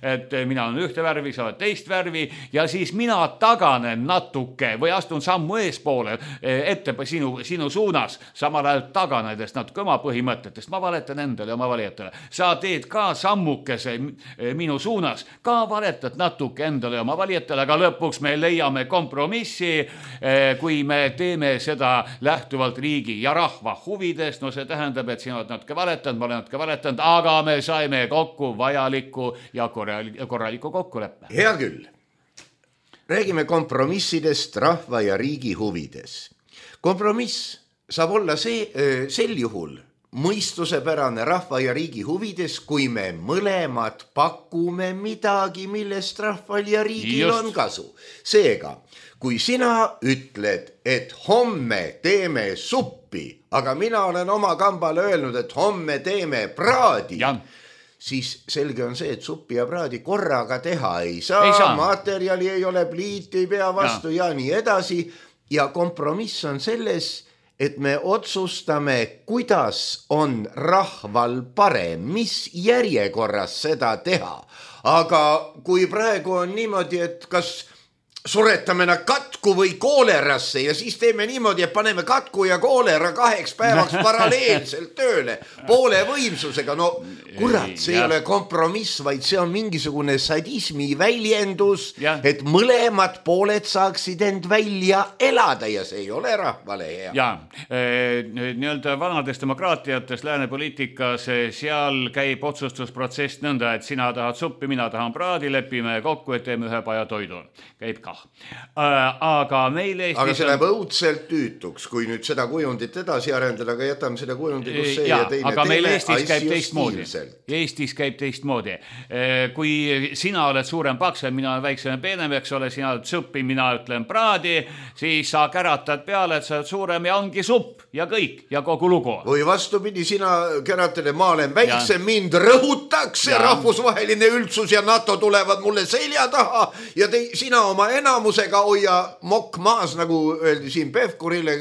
Speaker 4: et mina olen ühte värvi, sa oled teist värvi ja siis mina taganen natuke või astun sammu eespoole ette sinu suunas, samal ajal taganedes natuke oma põhimõtetest. Ma valetan endale ja oma valijatele. Sa teed ka sammukese minu suunas, ka valetad natuke endale ja oma valijatele, aga lõpuks me leiame kompromissi, kui me teeme seda lähtuvalt riigi ja rahva huvidest. No see tähendab, et sina oled natuke valetanud, ma olen natuke valetanud, aga me saime kokku vajaliku ja korraliku kokkuleppe.
Speaker 3: Hea küll. Räägime kompromissidest rahva ja riigi huvides. Kompromiss saab olla sel juhul mõistusepärane rahva ja riigi huvides, kui me mõlemad pakume midagi, millest rahval ja riigil on kasu. Seega, kui sina ütled, et homme teeme suppi, aga mina olen oma kambale öelnud, et homme teeme praadi, siis selge on see, et suppi ja praadi korraga teha ei saa. Materjali ei ole, pliit ei pea vastu ja nii edasi. Ja kompromiss on selles, et me otsustame, kuidas on rahval parem, mis järjekorras seda teha. Aga kui praegu on niimoodi, et kas suretame nad katku või koolerasse ja siis teeme niimoodi, et paneme katku ja koolera 2 päevaks paralleelselt tööle poole võimsusega. No kurat, see ei ole kompromiss, vaid see on mingisugune sadismi väljendus, et mõlemad pooled saaksid end välja elada ja see ei ole rahvale hea.
Speaker 4: Ja, nii-öelda vanades demokraatiates, lääne poliitikas, seal käib otsustusprotsess nõnda, et sina tahad suppi, mina tahan praadi, lepime kokku, et teeme ühe paja toidu. Käib ka. Aga meil Eestis...
Speaker 3: Aga see läheb õudselt tüütuks, kui nüüd seda kujundit edasi arendada, aga jätame seda kujundi, kus see ja teine
Speaker 4: aga meil Eestis käib teistmoodi. Eestis käib teistmoodi. Kui sina oled suurem paksem, mina olen väiksem peenem, eks ole, sina oled suppi, mina ütlen praadi, siis sa käratad peale, et sa oled suurem ja ongi supp ja kõik ja kogu lugu.
Speaker 3: Või vastupidi, sina käratad, et ma olen väiksem, mind rõhutakse, rahvusvaheline üldsus ja NATO tulevad mulle selja taha ja sina oma enamusega hoia mokk maas, nagu öeldi siin Pevkurile,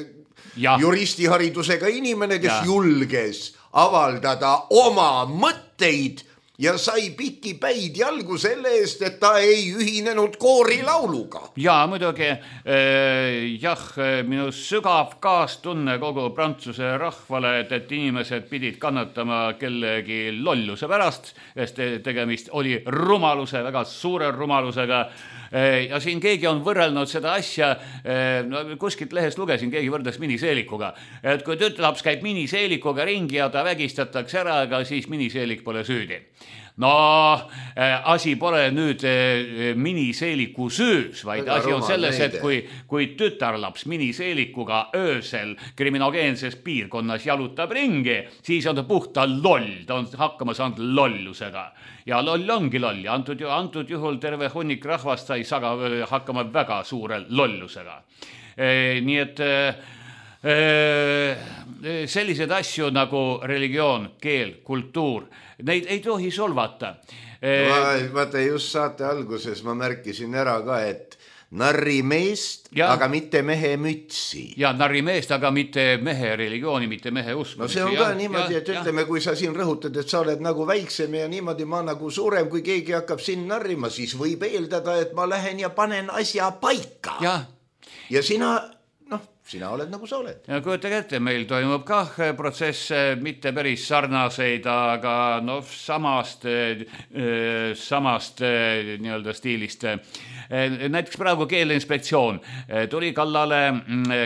Speaker 3: juristiharidusega inimene, kes julges avaldada oma mõtteid ja sai pikki päid jalgu selle eest, et ta ei ühinenud koorilauluga.
Speaker 4: Ja muidugi, minu sügav kaastunne kogu Prantsuse rahvale, et inimesed pidid kannatama kellegi lolluse pärast, sest tegemist oli rumaluse, väga suure rumalusega. Ja siin keegi on võrrelnud seda asja, kuskilt lehest lugesin, keegi võrdles miniseelikuga. Et kui tütarlaps käib miniseelikuga ringi ja ta vägistatakse ära, aga siis miniseelik pole süüdi. No, asi pole nüüd miniseeliku söös, vaid asi on selles, et kui tütarlaps miniseelikuga öösel kriminogeenses piirkonnas jalutab ringi, siis on ta puhta loll, ta on hakkama saanud lollusega. Ja loll ongi loll ja antud juhul terve hunnik rahvast sai hakkama väga suure lollusega. Nii et sellised asju nagu religioon, keel, kultuur, neid ei tohi solvata.
Speaker 3: Vaata, just saate alguses ma märkisin ära ka, et narrimeest, aga mitte mehe mütsi.
Speaker 4: Ja narrimeest, aga mitte mehe religiooni, mitte mehe usku.
Speaker 3: No see on ka niimoodi, et ütleme, kui sa siin rõhutad, et sa oled nagu väiksem ja niimoodi ma nagu suurem, kui keegi hakkab siin narrima, siis võib eeldada, et ma lähen ja panen asja paika. Ja sina oled nagu sa oled.
Speaker 4: Ja kujutage ette, meil toimub kah protsess mitte päris sarnaseid, aga samast nii-öelda stiilist. Näiteks praegu Keeleinspektsioon tuli kallale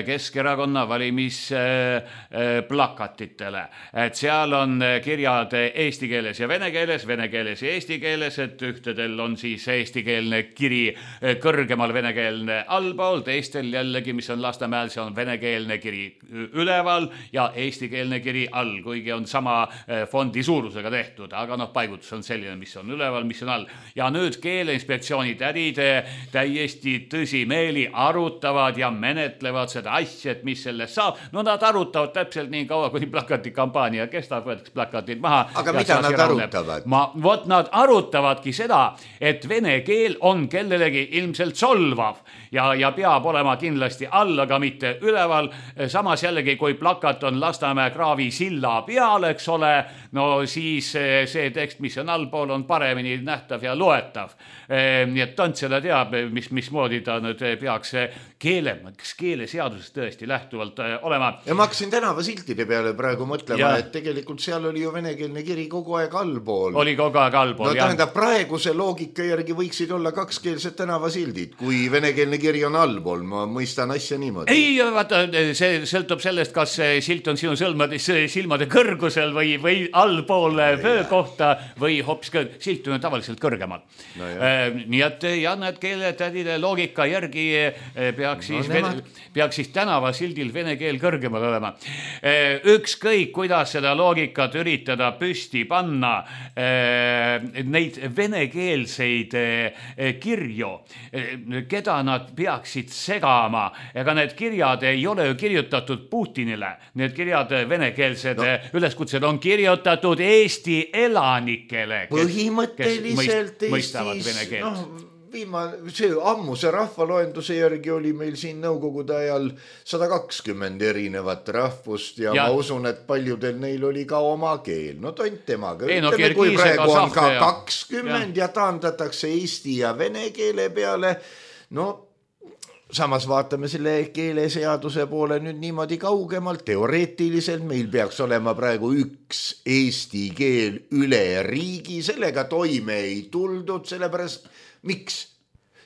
Speaker 4: Keskerakonna valimisplakatitele. Et seal on kirjad eesti keeles ja vene keeles ja eesti keeles, et ühtedel on siis eestikeelne kiri kõrgemal, venekeelne allpool, teistel jällegi, mis on Lasnamäel, see on venekeelne kiri üleval ja eestikeelne kiri all, kuigi on sama fondi suurusega tehtud, aga paigutus on selline, mis on üleval, mis on all. Ja nüüd Keeleinspektsiooni tädid täiesti tõsimeeli arutavad ja menetlevad seda asja, et mis sellest saab. Nad arutavad täpselt nii kaua, kuni plakatikampaania kestab, võetakse plakatid maha.
Speaker 3: Aga mida nad arutavad?
Speaker 4: Nad arutavadki seda, et vene keel on kellelegi ilmselt solvav ja peab olema kindlasti all, aga mitte üleval. Samas jällegi, kui plakat on Lasnamäe kraavi silla peal, eks ole, siis see tekst, mis on allpool, on paremini nähtav ja loetav. Nii et Tantsela teab, mismoodi ta nüüd peaks keeleseadusest tõesti lähtuvalt olema.
Speaker 3: Ja ma hakkasin tänavasiltide peale praegu mõtlema, et tegelikult seal oli ju venekeelne kiri kogu aeg allpool.
Speaker 4: Oli kogu aeg allpool,
Speaker 3: jah. Tähendab, praeguse loogika järgi võiksid olla kakskeelsed tänavasildid, kui venekeelne kiri on allpool. Ma mõistan asja niimoodi.
Speaker 4: Ei, vaata, see sõltub sellest, kas silt on sinu silmade kõrgusel või allpool vöö kohta või hoopis silt on tavaliselt kõrgemal. Nii et need keeletädide loogika järgi peaks siis tänavasildil vene keel kõrgemal olema. Ükskõik, kuidas seda loogikat üritada püsti panna, neid venekeelseid kirju, keda nad peaksid segama, ega need kirjad ei ole ju kirjutatud Putinile. Need kirjad venekeelsed üleskutsed on kirjutatud Eesti elanikele,
Speaker 3: põhimõtteliselt
Speaker 4: kes mõistavad vene keelt.
Speaker 3: See ammuse rahvaloenduse järgi oli meil siin nõukogude ajal 120 erinevat rahvust ja ma usun, et paljudel neil oli ka oma keel. Tont temaga. Ütleme, kui praegu on ka 20 ja taandatakse eesti ja vene keele peale, samas vaatame selle keeleseaduse poole nüüd niimoodi kaugemalt. Teoreetiliselt meil peaks olema praegu üks eesti keel üle riigi, sellega toime ei tuldud, sellepärast miks?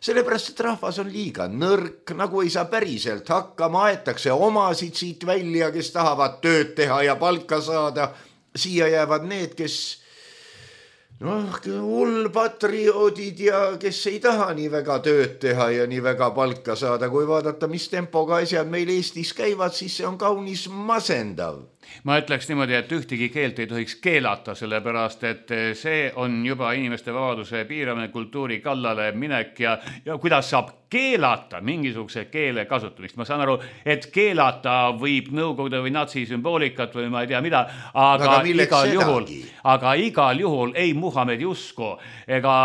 Speaker 3: Sellepärast, et rahvas on liiga nõrk, nagu ei saa päriselt hakkama, aetakse omasid siit välja, kes tahavad tööd teha ja palka saada. Siia jäävad need, kes hullpatrioodid ja kes ei taha nii väga tööd teha ja nii väga palka saada. Kui vaadata, mis tempoga asjad meil Eestis käivad, siis see on kaunis masendav.
Speaker 4: Ma ütleks niimoodi, et ühtegi keelt ei tohiks keelata, sellepärast, et see on juba inimeste vabaduse piiramine, kultuuri kallale minek ja kuidas saab keelata mingisuguse keele kasutamist. Ma saan aru, et keelata võib nõukogude või natsisümboolikat või ma ei tea mida, aga igal juhul ei Muhamedi usku ega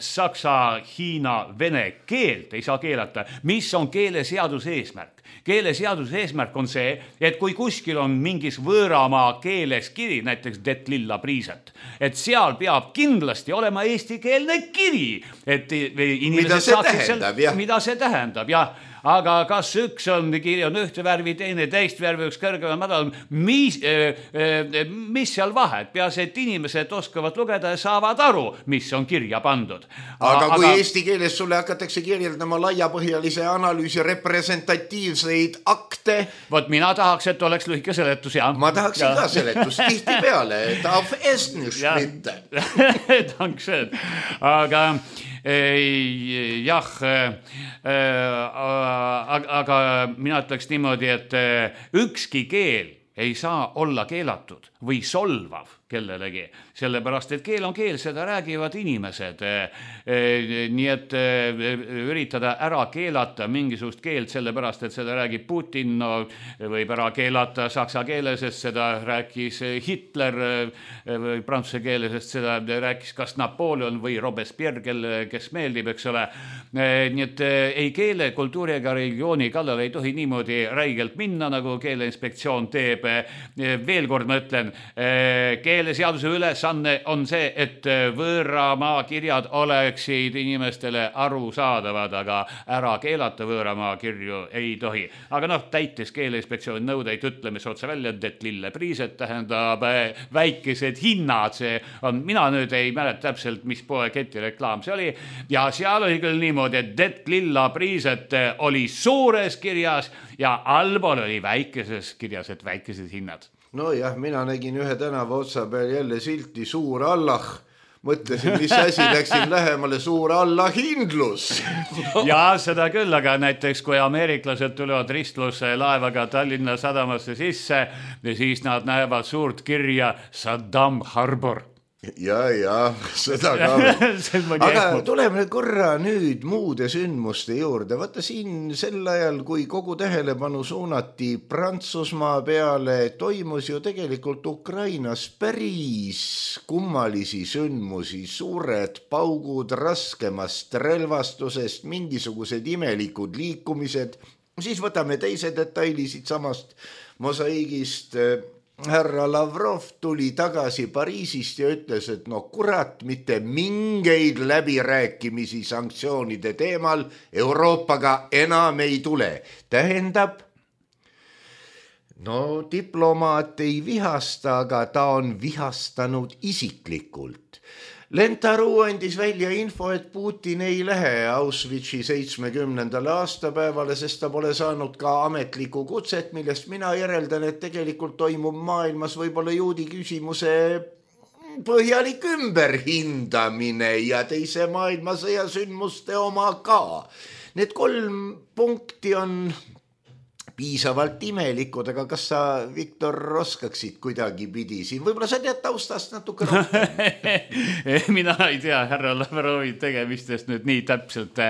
Speaker 4: saksa, hiina, vene keelt ei saa keelata. Mis on keeleseaduse eesmärk? Keeleseaduse eesmärk on see, et kui kuskil on mingis võõramaa keeles kiri, näiteks Det lilla priset, et seal peab kindlasti olema eestikeelne kiri, et inimesed saaksid mida see tähendab, jah. Aga kas üks on kiri on ühte värvi, teine teist värvi, üks kõrgem, madal, mis seal vahet? Peas, et inimesed oskavad lugeda ja saavad aru, mis on kirja pandud.
Speaker 3: Aga kui eesti keeles sulle hakatakse kirjeldama laiapõhjalise analüüsi representatiivseid akte.
Speaker 4: Vot mina tahaks, et oleks lühike seletus, jah.
Speaker 3: Ma tahaksin ka seletus tihti peale, et auf Estnisch mitte.
Speaker 4: Dankeschön. Aga aga mina ütleks niimoodi, et ükski keel ei saa olla keelatud või solvav kellelegi, sellepärast, et keel on keel, seda räägivad inimesed. Nii et üritada ära keelata mingisugust keelt, sellepärast, et seda räägib Putin, no võib ära keelata saksa keele, sest seda rääkis Hitler, või prantsuse keele, sest seda rääkis kas Napoleon või Robespierre, kes meeldib, eks ole. Nii et ei keele, kultuuri ega religiooni kallal ei tohi niimoodi räigelt minna, nagu Keeleinspektsioon teeb. Veel kord ma ütlen, keeleseaduse ülesanne on see, et võõramaa kirjad oleksid inimestele arusaadavad, aga ära keelata võõramaa kirju ei tohi. Aga noh, täitis Keeleinspektsiooni nõudeid, ütleme see otse välja, et lille priised tähendab väikesed hinnad. See on, mina nüüd ei mäleta täpselt, mis poeketi reklaam see oli. Ja seal oli küll niimoodi, et lilla priised oli suures kirjas ja allpool oli väikeses kirjas, et väikesed hinnad.
Speaker 3: No jah, mina nägin ühe tänava otsa peal jälle silti Suur Allah. Mõtlesin, mis asi, läksin lähemale Suur Allahhindlus.
Speaker 4: Ja seda küll, aga näiteks kui ameeriklased tulevad ristlusse laevaga Tallinna sadamasse sisse, siis nad näevad suurt kirja Saddam Harbor.
Speaker 3: Ja, seda ka veel. Aga tuleme korra nüüd muude sündmuste juurde. Vaata siin sel ajal, kui kogu tähelepanu suunati Prantsusmaa peale, toimus ju tegelikult Ukrainas päris kummalisi sündmusi, suured paugud raskemast relvastusest, mingisugused imelikud liikumised. Siis võtame teise detaili siit samast mosaiigist. Härra Lavrov tuli tagasi Pariisist ja ütles, et no kurat, mitte mingeid läbirääkimisi sanktsioonide teemal Euroopaga enam ei tule. Tähendab, no diplomaat ei vihasta, aga ta on vihastanud isiklikult. Lentaru andis välja info, et Putin ei lähe Auschwitzi 70. aastapäevale, sest ta pole saanud ka ametlikku kutset, millest mina järeldan, et tegelikult toimub maailmas võib-olla juudi küsimuse põhjalik ümberhindamine ja teise maailmasõja sündmuste oma ka. Need 3 punkti on piisavalt imelikud, aga kas sa, Viktor, oskaksid kuidagi pidi siin? Võib-olla sa tead taustast natuke rohkem.
Speaker 4: Mina ei tea härra Lavrovi tegemistest nüüd nii täpselt.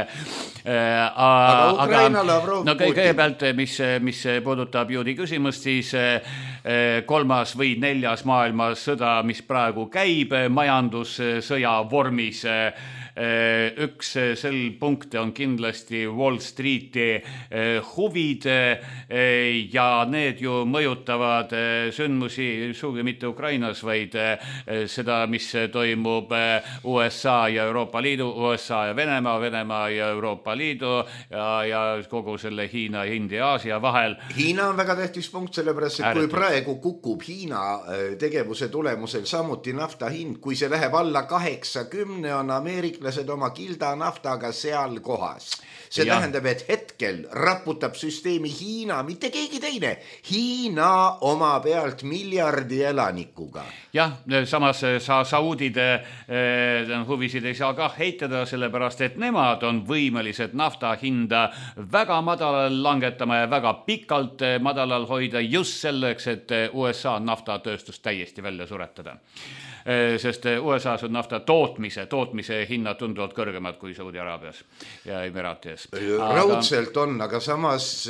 Speaker 3: Aga Ukraina Lavrov
Speaker 4: no kõigepealt, mis puudutab juudi küsimust, siis 3. või 4. maailmasõda, mis praegu käib majandussõja vormis. Üks sel punkte on kindlasti Wall Streeti huvid ja need ju mõjutavad sündmusi sugugi mitte Ukrainas, vaid seda, mis toimub USA ja Euroopa Liidu, USA ja Venemaa ja Euroopa Liidu ja kogu selle Hiina, India, Aasia vahel.
Speaker 3: Hiina on väga tähtis punkt, sellepärast, et kui praegu kukub Hiina tegevuse tulemusel samuti nafta hind, kui see läheb alla 80, on ameeriklased oma kilda naftaga seal kohas. See tähendab, et hetkel raputab süsteemi Hiina, mitte keegi teine. Hiina oma pealt miljardi elanikuga.
Speaker 4: Jah, samas saudide huvisid ei saa ka heitada, sellepärast, et nemad on võimelised nafta hinda väga madalal langetama ja väga pikalt madalal hoida just selleks, et USA naftatööstust täiesti välja suretada. Sest USAs on nafta tootmise hinnad tunduvalt kõrgemad kui Saudi-Araabias ja Emiraatias.
Speaker 3: Raudselt on, aga samas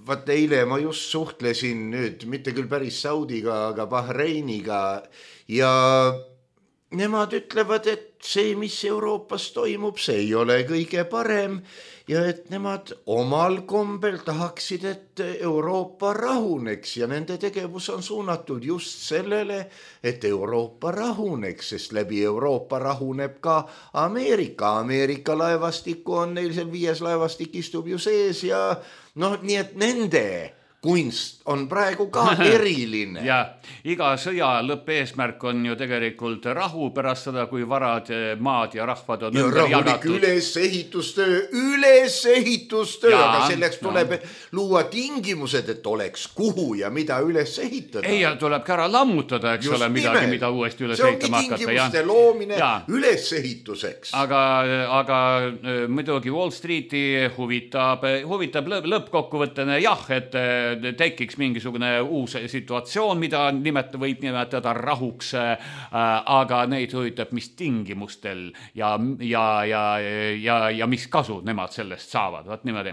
Speaker 3: vaat eile ma just suhtlesin nüüd, mitte küll päris Saudiga, aga Bahreiniga ja nemad ütlevad, et see, mis Euroopas toimub, see ei ole kõige parem ja et nemad omal kombel tahaksid, et Euroopa rahuneks ja nende tegevus on suunatud just sellele, et Euroopa rahuneks, sest läbi Euroopa rahuneb ka Ameerika. Ameerika laevastikku on neil seal 5 laevastik istub ju sees ja noh, nii et nende kunst on praegu ka eriline.
Speaker 4: Ja iga sõja lõppeesmärk on ju tegelikult rahu pärast seda, kui varad, maad ja rahvad on ümber jagatud. Ülesehitustöö, aga selleks tuleb luua tingimused, et oleks kuhu ja mida üles ehitada. Ei, ja tuleb ka ära lammutada, eks ole, midagi, mida uuesti üles ehitama hakata.
Speaker 3: See ongi tingimuste loomine ülesehituseks.
Speaker 4: Aga muidugi Wall Streeti huvitab lõppkokkuvõttena jah, et tekiks mingisugune uus situatsioon, mida võib nimetada rahuks, aga neid huvitab, mis tingimustel ja mis kasu nemad sellest saavad, vaat niimoodi.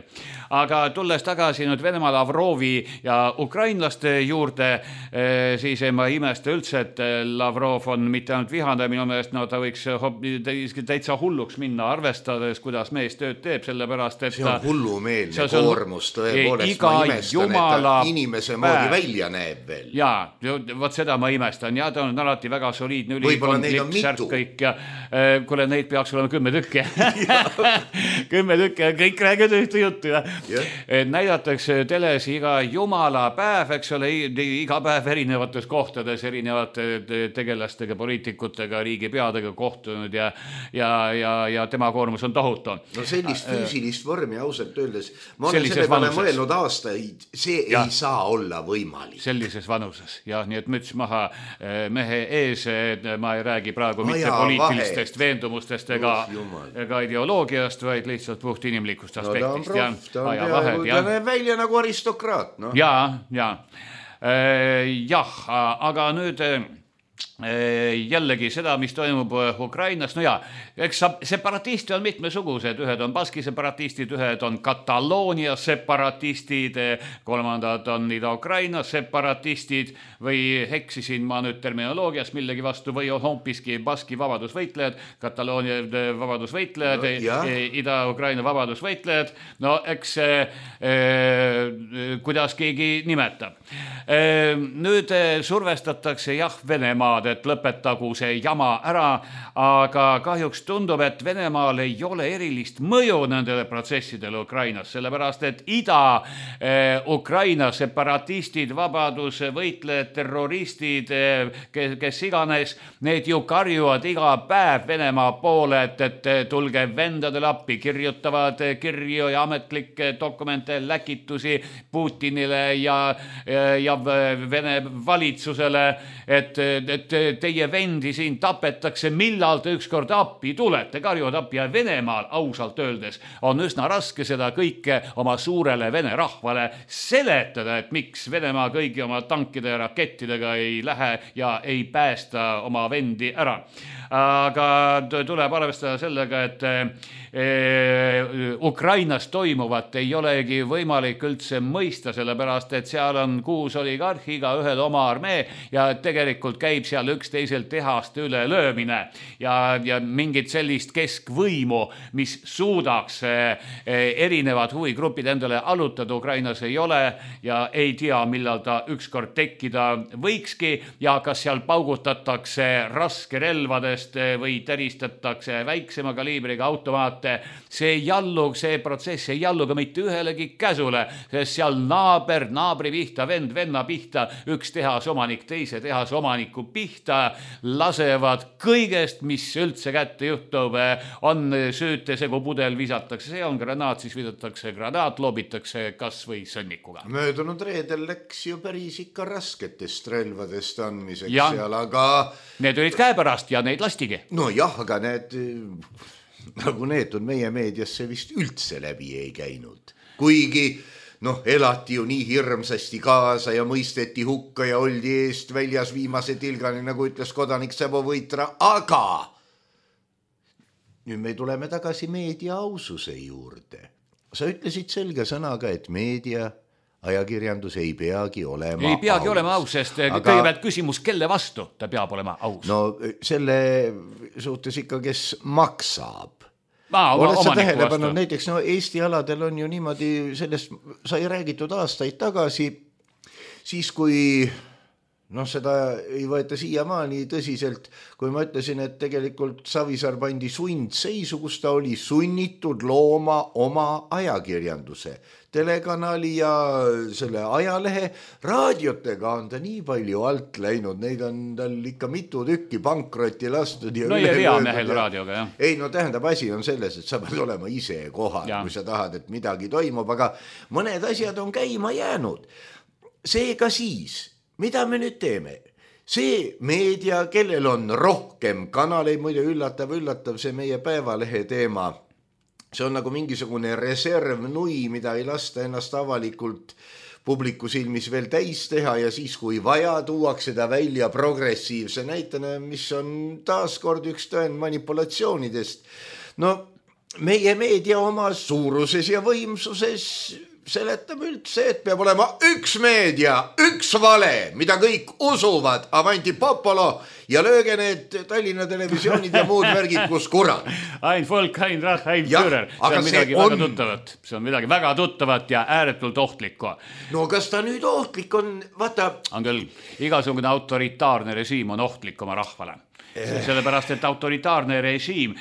Speaker 4: Aga tulles tagasi nüüd Venemaa Lavrovi ja ukrainlaste juurde, siis ma ei imesta üldse, et Lavrov on mitte ainult vihane, minu meelest ta võiks täitsa hulluks minna, arvestades, kuidas mees tööd teeb, sellepärast, et
Speaker 3: see on hullumeelne koormus, tõepoolest ma imestan, et ta inimese moodi välja näeb veel.
Speaker 4: Jaa, võt seda ma imestan ja ta on alati väga soliidne
Speaker 3: ülikond,
Speaker 4: särk kõik ja kuule, neid peaks olema 10 tükki 10 tükki ja kõik räägid ühte juttu ja näidatakse teles iga jumala päev, eks ole, iga päev erinevates kohtades, erinevate tegelastega, poliitikutega, riigipeadega kohtunud ja tema koormus on tohutu.
Speaker 3: No sellist füüsilist vormi ausalt öeldes, ma olen selle peale mõelnud aastaid, see ei saa olla võimalik.
Speaker 4: Sellises vanuses, jah, nii et müts maha mehe ees, ma ei räägi praegu mitte poliitilistest veendumustest ega ideoloogiast, vaid lihtsalt puht inimlikust aspektist.
Speaker 3: No ta on peaaegu, ta näeb välja nagu aristokraat.
Speaker 4: Jah, aga nüüd jällegi seda, mis toimub Ukrainas, no jaa, eks separatisti on mitmesugused, ühed on baski separatistid, ühed on Kataloonia separatistid, kolmandad on Ida-Ukraina separatistid või heksisin ma nüüd terminoloogias millegi vastu või on hoopiski baski vabadusvõitlejad, Kataloonia vabadusvõitlejad, Ida-Ukraina vabadusvõitlejad, no eks kuidas keegi nimetab. Nüüd survestatakse Venemaad, et lõpetagu see jama ära, aga kahjuks tundub, et Venemaal ei ole erilist mõju nendele protsessidele Ukrainas, sellepärast, et Ida-Ukraina separatistid, vabadusvõitlejad, terroristid, kes iganes, need ju karjuvad iga päev Venemaa poole, et tulge vendadele appi, kirjutavad kirju ja ametlikke dokumente, läkitusi Putinile ja Vene valitsusele, et teie vendi siin tapetakse, millal te ükskord appi tulete, karjuvad appi ja Venemaal ausalt öeldes on üsna raske seda kõike oma suurele Vene rahvale seletada, et miks Venemaa kõigi oma tankide ja rakettidega ei lähe ja ei päästa oma vendi ära. Aga tuleb arvestada sellega, et Ukrainas toimuvat ei olegi võimalik üldse mõista, sellepärast, et seal on 6 oligarhi, iga ühel oma armee ja tegelikult käib seal üksteiselt tehaste üle löömine ja mingit sellist keskvõimu, mis suudaks erinevad huvigrupid endale allutada Ukrainas ei ole ja ei tea, millal ta ükskord tekkida võikski ja kas seal paugutatakse raskerelvadest või täristatakse väiksema kaliibriga automaate. See protsess ei jallu ka mitte ühelegi käsule, sest seal naabri pihta, vend venna pihta, üks tehasomanik teise tehasomaniku pihta lasevad kõigest, mis üldse kätte juhtub, on süütesegu pudel visatakse, see on granaat, siis visatakse granaat, loobitakse kas või sõnnikuga.
Speaker 3: Möödunud reedel läks ju päris ikka rasketest relvadest andmiseks seal, aga
Speaker 4: need olid käepärast ja neid lastigi.
Speaker 3: No jah, aga nagu need on meie meediasse vist üldse läbi ei käinud. Kuigi elati ju nii hirmsasti kaasa ja mõisteti hukka ja oldi eest väljas viimase tilgani, nagu ütles kodanik Sebo Võitra, aga nüüd me tuleme tagasi meedia aususe juurde. Sa ütlesid selge sõnaga, et meedia ajakirjandus ei peagi olema
Speaker 4: aus, sest kõigepealt küsimus, kelle vastu ta peab olema aus?
Speaker 3: No selle suhtes ikka, kes maksab. Oled sa tähele pannud, näiteks Eesti aladel on ju niimoodi, sellest sai räägitud aastaid tagasi, siis kui seda ei võeta siiamaani tõsiselt, kui ma ütlesin, et tegelikult Savisaar pandi sundseisu, kus ta oli sunnitud looma oma ajakirjanduse, telekanali ja selle ajalehe, raadiotega on ta nii palju alt läinud, neid on tal ikka mitu tükki pankrotti lastud.
Speaker 4: No ja reamehel raadioga, jah.
Speaker 3: Ei, tähendab, asi on selles, et sa pead olema ise kohal, kui sa tahad, et midagi toimub, aga mõned asjad on käima jäänud. Seega siis, mida me nüüd teeme? See meedia, kellel on rohkem kanaleid, muide üllatav see meie Päevalehe teema, see on nagu mingisugune reservnui, mida ei lasta ennast avalikult publiku silmis veel täis teha ja siis, kui vaja, tuuakse ta välja progressiivse näitena, mis on taaskord üks tõend manipulatsioonidest. No meie meedia oma suuruses ja võimsuses seletab üldse, et peab olema üks meedia, üks vale, mida kõik usuvad, avanti popolo ja lööge need Tallinna televisioonid ja muud värgid, kus kurat.
Speaker 4: Ein Volk, ein Rach, ein Führer. See on midagi väga tuttavat. See on midagi väga tuttavat ja ääretult ohtlikku.
Speaker 3: No kas ta nüüd ohtlik on? Vaata.
Speaker 4: On küll. Igasugune autoritaarne režiim on ohtlik oma rahvale. Sellepärast, et autoritaarne režiim,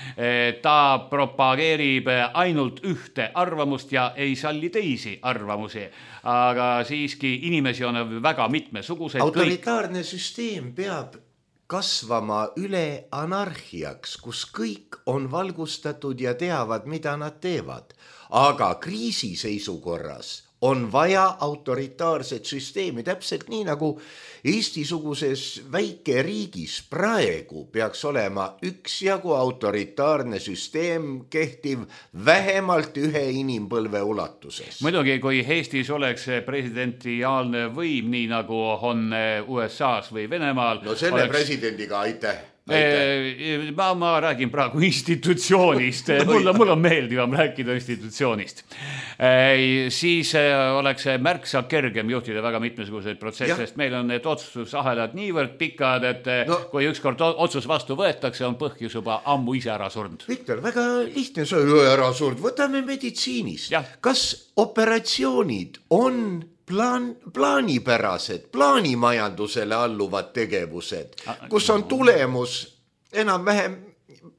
Speaker 4: ta propageerib ainult ühte arvamust ja ei salli teisi arvamusi. Aga siiski inimesi on väga mitmesuguseid.
Speaker 3: Autoritaarne süsteem peab kasvama üle anarhiaks, kus kõik on valgustatud ja teavad, mida nad teevad. Aga kriisiseisukorras on vaja autoritaarset süsteemi, täpselt nii nagu Eesti-suguses väikeriigis praegu peaks olema üksjagu autoritaarne süsteem kehtiv vähemalt ühe inimpõlve ulatuses.
Speaker 4: Muidugi, kui Eestis oleks presidentiaalne võim, nii nagu on USA-s või Venemaal.
Speaker 3: No selle presidendiga aitäh.
Speaker 4: Ma räägin praegu institutsioonist. Mul on meeldivam rääkida institutsioonist. Siis oleks märksa kergem juhtida väga mitmesuguseid protsessist. Meil on need otsusahelad niivõrd pikad, et kui ükskord otsus vastu võetakse, on põhjus juba ammu ise ära surnud.
Speaker 3: Viktor, väga lihtne see ära surnud. Võtame meditsiinis. Kas operatsioonid on plaanipärased, plaanimajandusele alluvad tegevused, kus on tulemus enam-vähem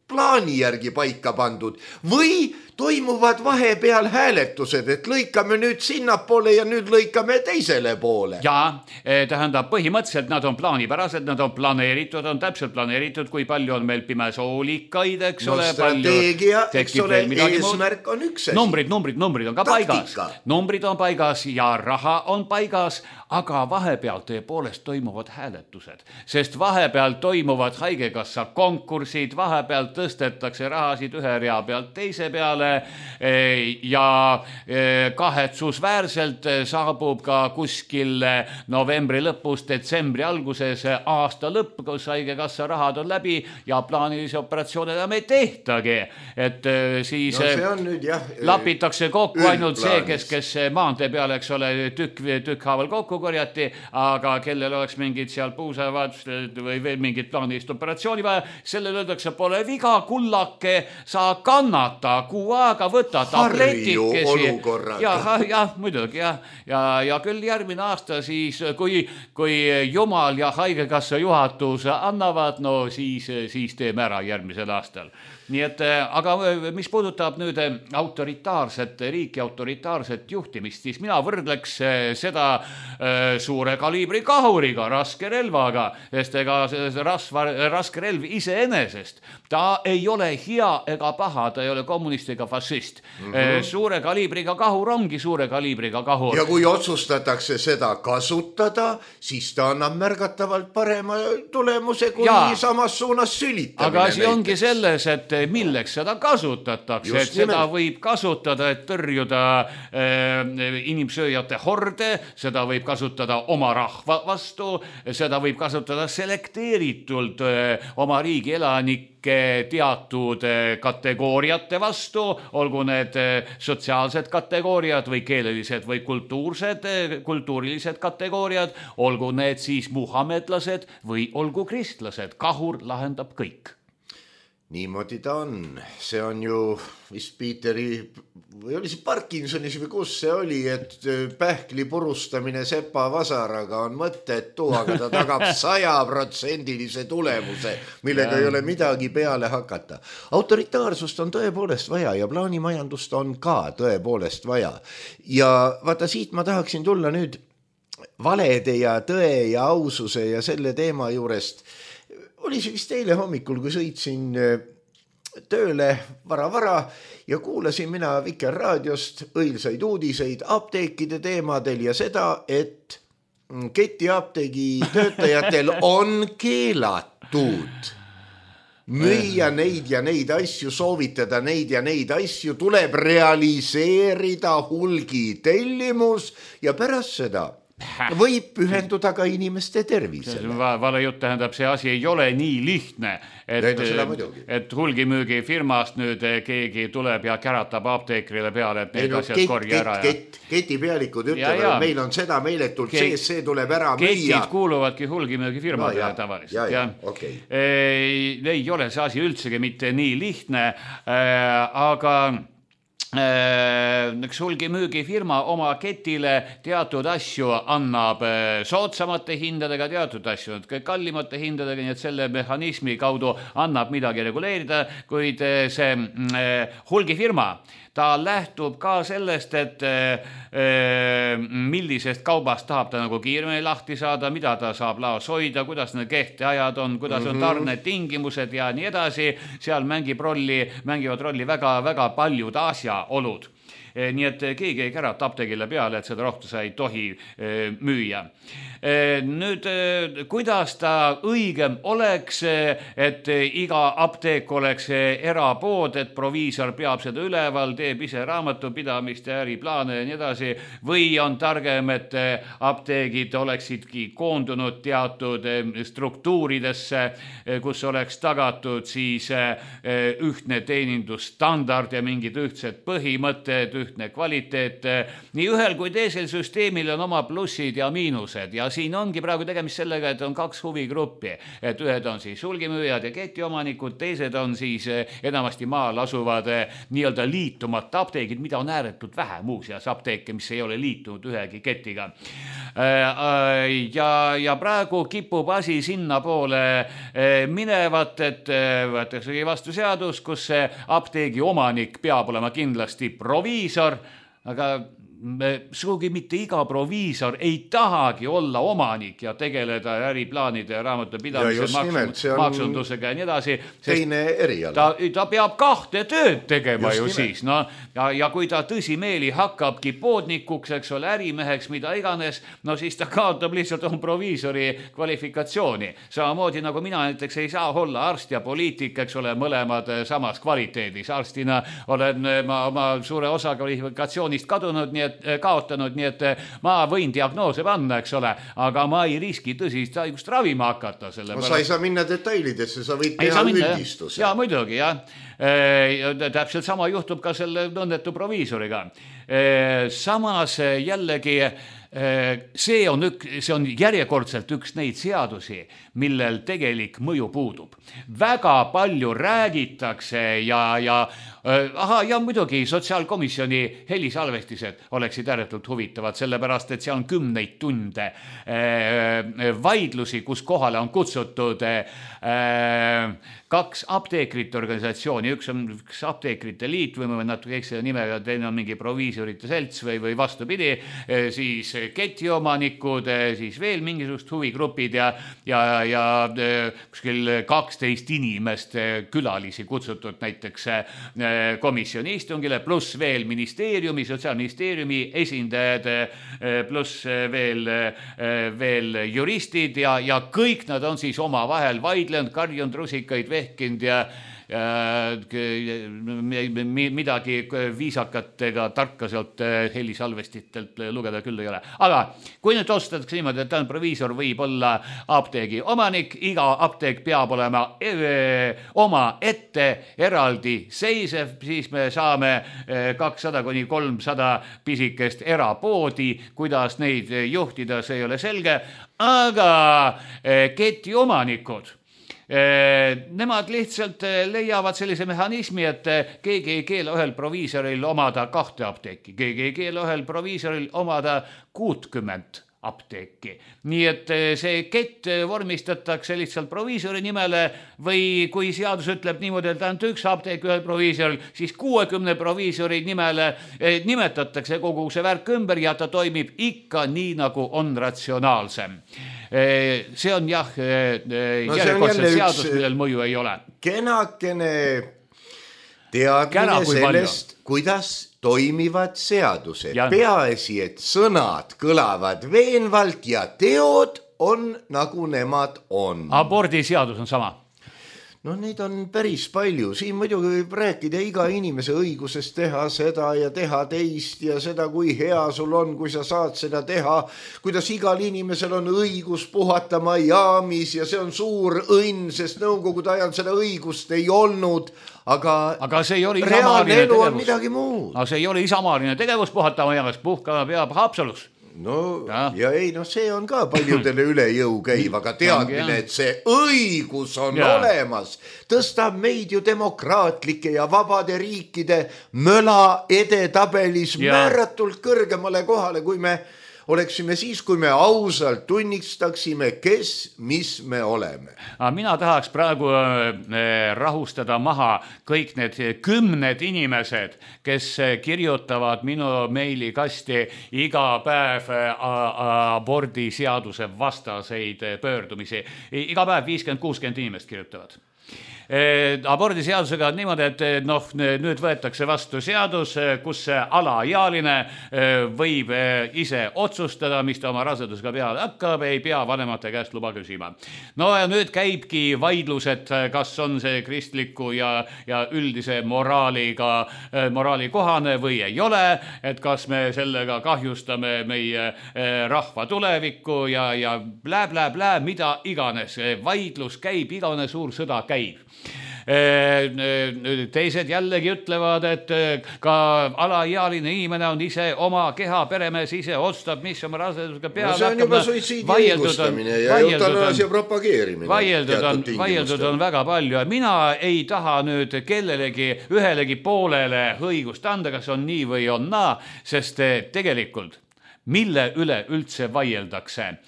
Speaker 3: plaani järgi paika pandud või toimuvad vahepeal hääletused, et lõikame nüüd sinnapoole ja nüüd lõikame teisele poole.
Speaker 4: Ja, tähendab, põhimõtteliselt nad on plaanipärased, nad on planeeritud, on täpselt planeeritud, kui palju on meil pimesoolikaid, eks ole.
Speaker 3: Strateegia, eks ole, eesmärk on üks.
Speaker 4: Numbrid on ka paigas. Numbrid on paigas ja raha on paigas, aga vahepeal tõepoolest toimuvad hääletused, sest vahepeal toimuvad haigekassa konkursid, vahepeal tõstetakse rahasid ühe rea pealt teise peale ja kahetsusväärselt saabub ka kuskil novembri lõpus, detsembri alguses aasta lõpp, kus haigekassa rahad on läbi ja plaanilisi operatsioone enam ei tehtagi. Et siis lapitakse kokku ainult see, kes maantee peal, eks ole, tükkhaaval kokku korjati, aga kellel oleks mingid seal puusavad või veel mingid plaanilist operatsiooni vaja, sellel öeldakse, pole viga, kullake, sa kannata, aega võtta tabletikesi. Ja muidugi, ja küll järgmine aasta siis, kui Jumal ja haigekassa juhatus annavad, no siis teeme ära järgmisel aastal. Nii et, aga mis puudutab nüüd autoritaarset riiki, autoritaarset juhtimist, siis mina võrdleks seda suure kaliibri kahuriga, raske relvaga, sest ega raske relv iseenesest, ta ei ole hea ega paha, ta ei ole kommunist ega fašist. Suure kaliibriga kahur ongi suure kaliibriga kahur.
Speaker 3: Ja kui otsustatakse seda kasutada, siis ta annab märgatavalt parema tulemuse kui samas suunas sülitamine.
Speaker 4: Aga asi ongi selles, et milleks seda kasutatakse, et seda võib kasutada, et tõrjuda inimsööjate horde, seda võib kasutada oma rahva vastu, seda võib kasutada selekteeritult oma riigi elanike teatud kategooriate vastu, olgu need sotsiaalsed kategooriad või keelelised või kultuurilised kategooriad, olgu need siis muhamedlased või olgu kristlased, kahur lahendab kõik.
Speaker 3: Niimoodi ta on. See on ju vist Piiteri, või oli see Parkinsonis või kus see oli, et pähkli purustamine sepa vasaraga on mõttetu, aga ta tagab 100% tulemuse, millega ei ole midagi peale hakata. Autoritaarsust on tõepoolest vaja ja plaanimajandust on ka tõepoolest vaja. Ja vaata, siit ma tahaksin tulla nüüd valede ja tõe ja aususe ja selle teema juurest. Oli see vist eile hommikul, kui sõitsin tööle vara ja kuulasin mina Vikerraadiost õilsaid uudiseid apteekide teemadel ja seda, et ketiapteegi töötajatel on keelatud müüa neid ja neid asju, soovitada neid ja neid asju, tuleb realiseerida hulgitellimus ja pärast seda võib pühenduda ka inimeste tervisele.
Speaker 4: Vale jutt tähendab, see asi ei ole nii lihtne, et hulgimüügifirmast nüüd keegi tuleb ja käratab apteekrile peale, et need asjad korja ära.
Speaker 3: Ketipealikud ütlevad, et meil on seda meeletult sees, see tuleb ära müüa.
Speaker 4: Ketid kuuluvadki hulgimüügifirmadele tavaliselt. Ei ole see asi üldsegi mitte nii lihtne, aga üks hulgimüügifirma oma ketile teatud asju annab soodsamate hindadega, teatud asju kallimate hindadega, nii et selle mehhanismi kaudu annab midagi reguleerida, kuid see hulgifirma, ta lähtub ka sellest, et millisest kaubast tahab ta nagu kiiremini lahti saada, mida ta saab laos hoida, kuidas need kehteajad on, kuidas on tarnetingimused ja nii edasi. Seal mängivad rolli väga paljud asjaolud. Nii et keegi ei kärata apteegile peale, et seda rohtu sa ei tohi müüa. Nüüd, kuidas ta õigem oleks, et iga apteek oleks erapood, et proviisor peab seda üleval, teeb ise raamatupidamist ja äriplaane ja nii edasi, või on targem, et apteegid oleksidki koondunud teatud struktuuridesse, kus oleks tagatud siis ühtne teenindusstandard ja mingid ühtsed põhimõtted, ühtne kvaliteet. Nii ühel kui teisel süsteemil on oma plussid ja miinused ja siin ongi praegu tegemist sellega, et on kaks huvigruppi, et ühed on siis hulgimüüjad ja ketiomanikud, teised on siis enamasti maal asuvad nii-öelda liitumata apteegid, mida on ääretult vähe muuseas apteeke, mis ei ole liitunud ühegi ketiga. Ja praegu kipub asi sinna poole minevat, et võetakse vastu seadus, kus apteegi omanik peab olema kindlasti proviisor, aga sugugi mitte iga proviisor ei tahagi olla omanik ja tegeleda äriplaanide ja raamatupidamise maksundusega ja nii edasi.
Speaker 3: Teine eriala.
Speaker 4: Ta peab kahte tööd tegema just ju siis. No, ja kui ta tõsimeeli hakkabki poodnikuks, eks ole, ärimeheks, mida iganes, no siis ta kaotab lihtsalt on proviisori kvalifikatsiooni. Samamoodi nagu mina näiteks ei saa olla arst ja poliitik, eks ole, mõlemad samas kvaliteedis. Arstina olen ma oma suure osa kvalifikatsioonist kaotanud, nii et ma võin diagnoose panna, eks ole, aga ma ei riski tõsist haigust ravima hakata.
Speaker 3: No sa ei saa minna detailidesse, sa võid teha üldistuse.
Speaker 4: Ja muidugi, jah. Täpselt sama juhtub ka selle õnnetu proviisoriga. Samas jällegi see on järjekordselt üks neid seadusi, millel tegelik mõju puudub. Väga palju räägitakse ja muidugi sotsiaalkomisjoni helisalvestised oleksid ääretult huvitavad, sellepärast, et seal on 10 tunde vaidlusi, kus kohale on kutsutud 2 apteekrite organisatsiooni, üks on apteekrite liit või natuke ekstra nimega, teine on mingi proviisorite selts või vastupidi, siis ketiomanikud, siis veel mingisugust huvigrupid ja kuskil 12 inimest külalisi kutsutud näiteks komisjoni istungile, pluss veel ministeeriumi, sotsiaalministeeriumi esindajad, pluss veel juristid ja kõik nad on siis oma vahel vaidlenud, karjunud, rusikaid vehkinud ja midagi viisakatega tarka sealt helisalvestitelt lugeda küll ei ole. Aga kui nüüd otsustatakse niimoodi, et proviisor võib olla apteegi omanik, iga apteek peab olema oma ette eraldi seisev, siis me saame 200-300 pisikest erapoodi, kuidas neid juhtida, see ei ole selge, aga ketiomanikud nemad lihtsalt leiavad sellise mehhanismi, et keegi ei keela ühel proviisoril omada 2 apteeki, keegi ei keela ühel proviisoril omada 60 apteeki. Nii et see kett vormistatakse lihtsalt proviisori nimele või kui seadus ütleb niimoodi, et ainult 1 apteek ühel proviisoril, siis 60 proviisori nimele nimetatakse kogu see värk ümber ja ta toimib ikka nii, nagu on ratsionaalsem. See on jah, järjekordselt seadus, millel mõju ei ole.
Speaker 3: Kenakene teadmine sellest, kuidas toimivad seadused. Peaasi, et sõnad kõlavad veenvalt ja teod on nagu nemad on.
Speaker 4: Abordiseadus on sama.
Speaker 3: No neid on päris palju, siin muidugi võib rääkida iga inimese õigusest teha seda ja teha teist ja seda, kui hea sul on, kui sa saad seda teha, kuidas igal inimesel on õigus puhata Miamis ja see on suur õnn, sest nõukogude ajal seda õigust ei olnud, aga
Speaker 4: see ei ole
Speaker 3: reaalne elu on midagi muud.
Speaker 4: Aga see ei ole isamaaline tegevus puhata Miamis, puhkama peab Haapsalus.
Speaker 3: No ja ei, see on ka paljudele üle jõu käiv, aga teadmine, et see õigus on olemas, tõstab meid ju demokraatlike ja vabade riikide möla edetabelis määratult kõrgemale kohale, kui me oleksime siis, kui me ausalt tunnistaksime, kes, mis me oleme.
Speaker 4: Mina tahaks praegu rahustada maha kõik need 10 inimesed, kes kirjutavad minu meilikasti iga päev abordiseaduse vastaseid pöördumisi. Iga päev 50-60 inimest kirjutavad. Abordiseadusega on niimoodi, et nüüd võetakse vastu seadus, kus alaealine võib ise otsustada, mis ta oma rasedusega peale hakkab, ei pea vanemate käest luba küsima. No ja nüüd käibki vaidlused, kas on see kristliku ja üldise moraali kohane või ei ole, et kas me sellega kahjustame meie rahva tulevikku ja blä, mida iganes. Vaidlus käib, igavene suur sõda käib. Teised jällegi ütlevad, et ka alaealine inimene on ise oma keha, peremees ise otsustab, mis oma rasedusega peale hakkab.
Speaker 3: See on juba suitsiidi õigustamine ja eutanaasia propageerimine.
Speaker 4: Vaieldud on väga palju ja mina ei taha nüüd kellelegi ühelegi poolele õigust anda, kas on nii või on naa, sest tegelikult mille üle üldse vaieldakse.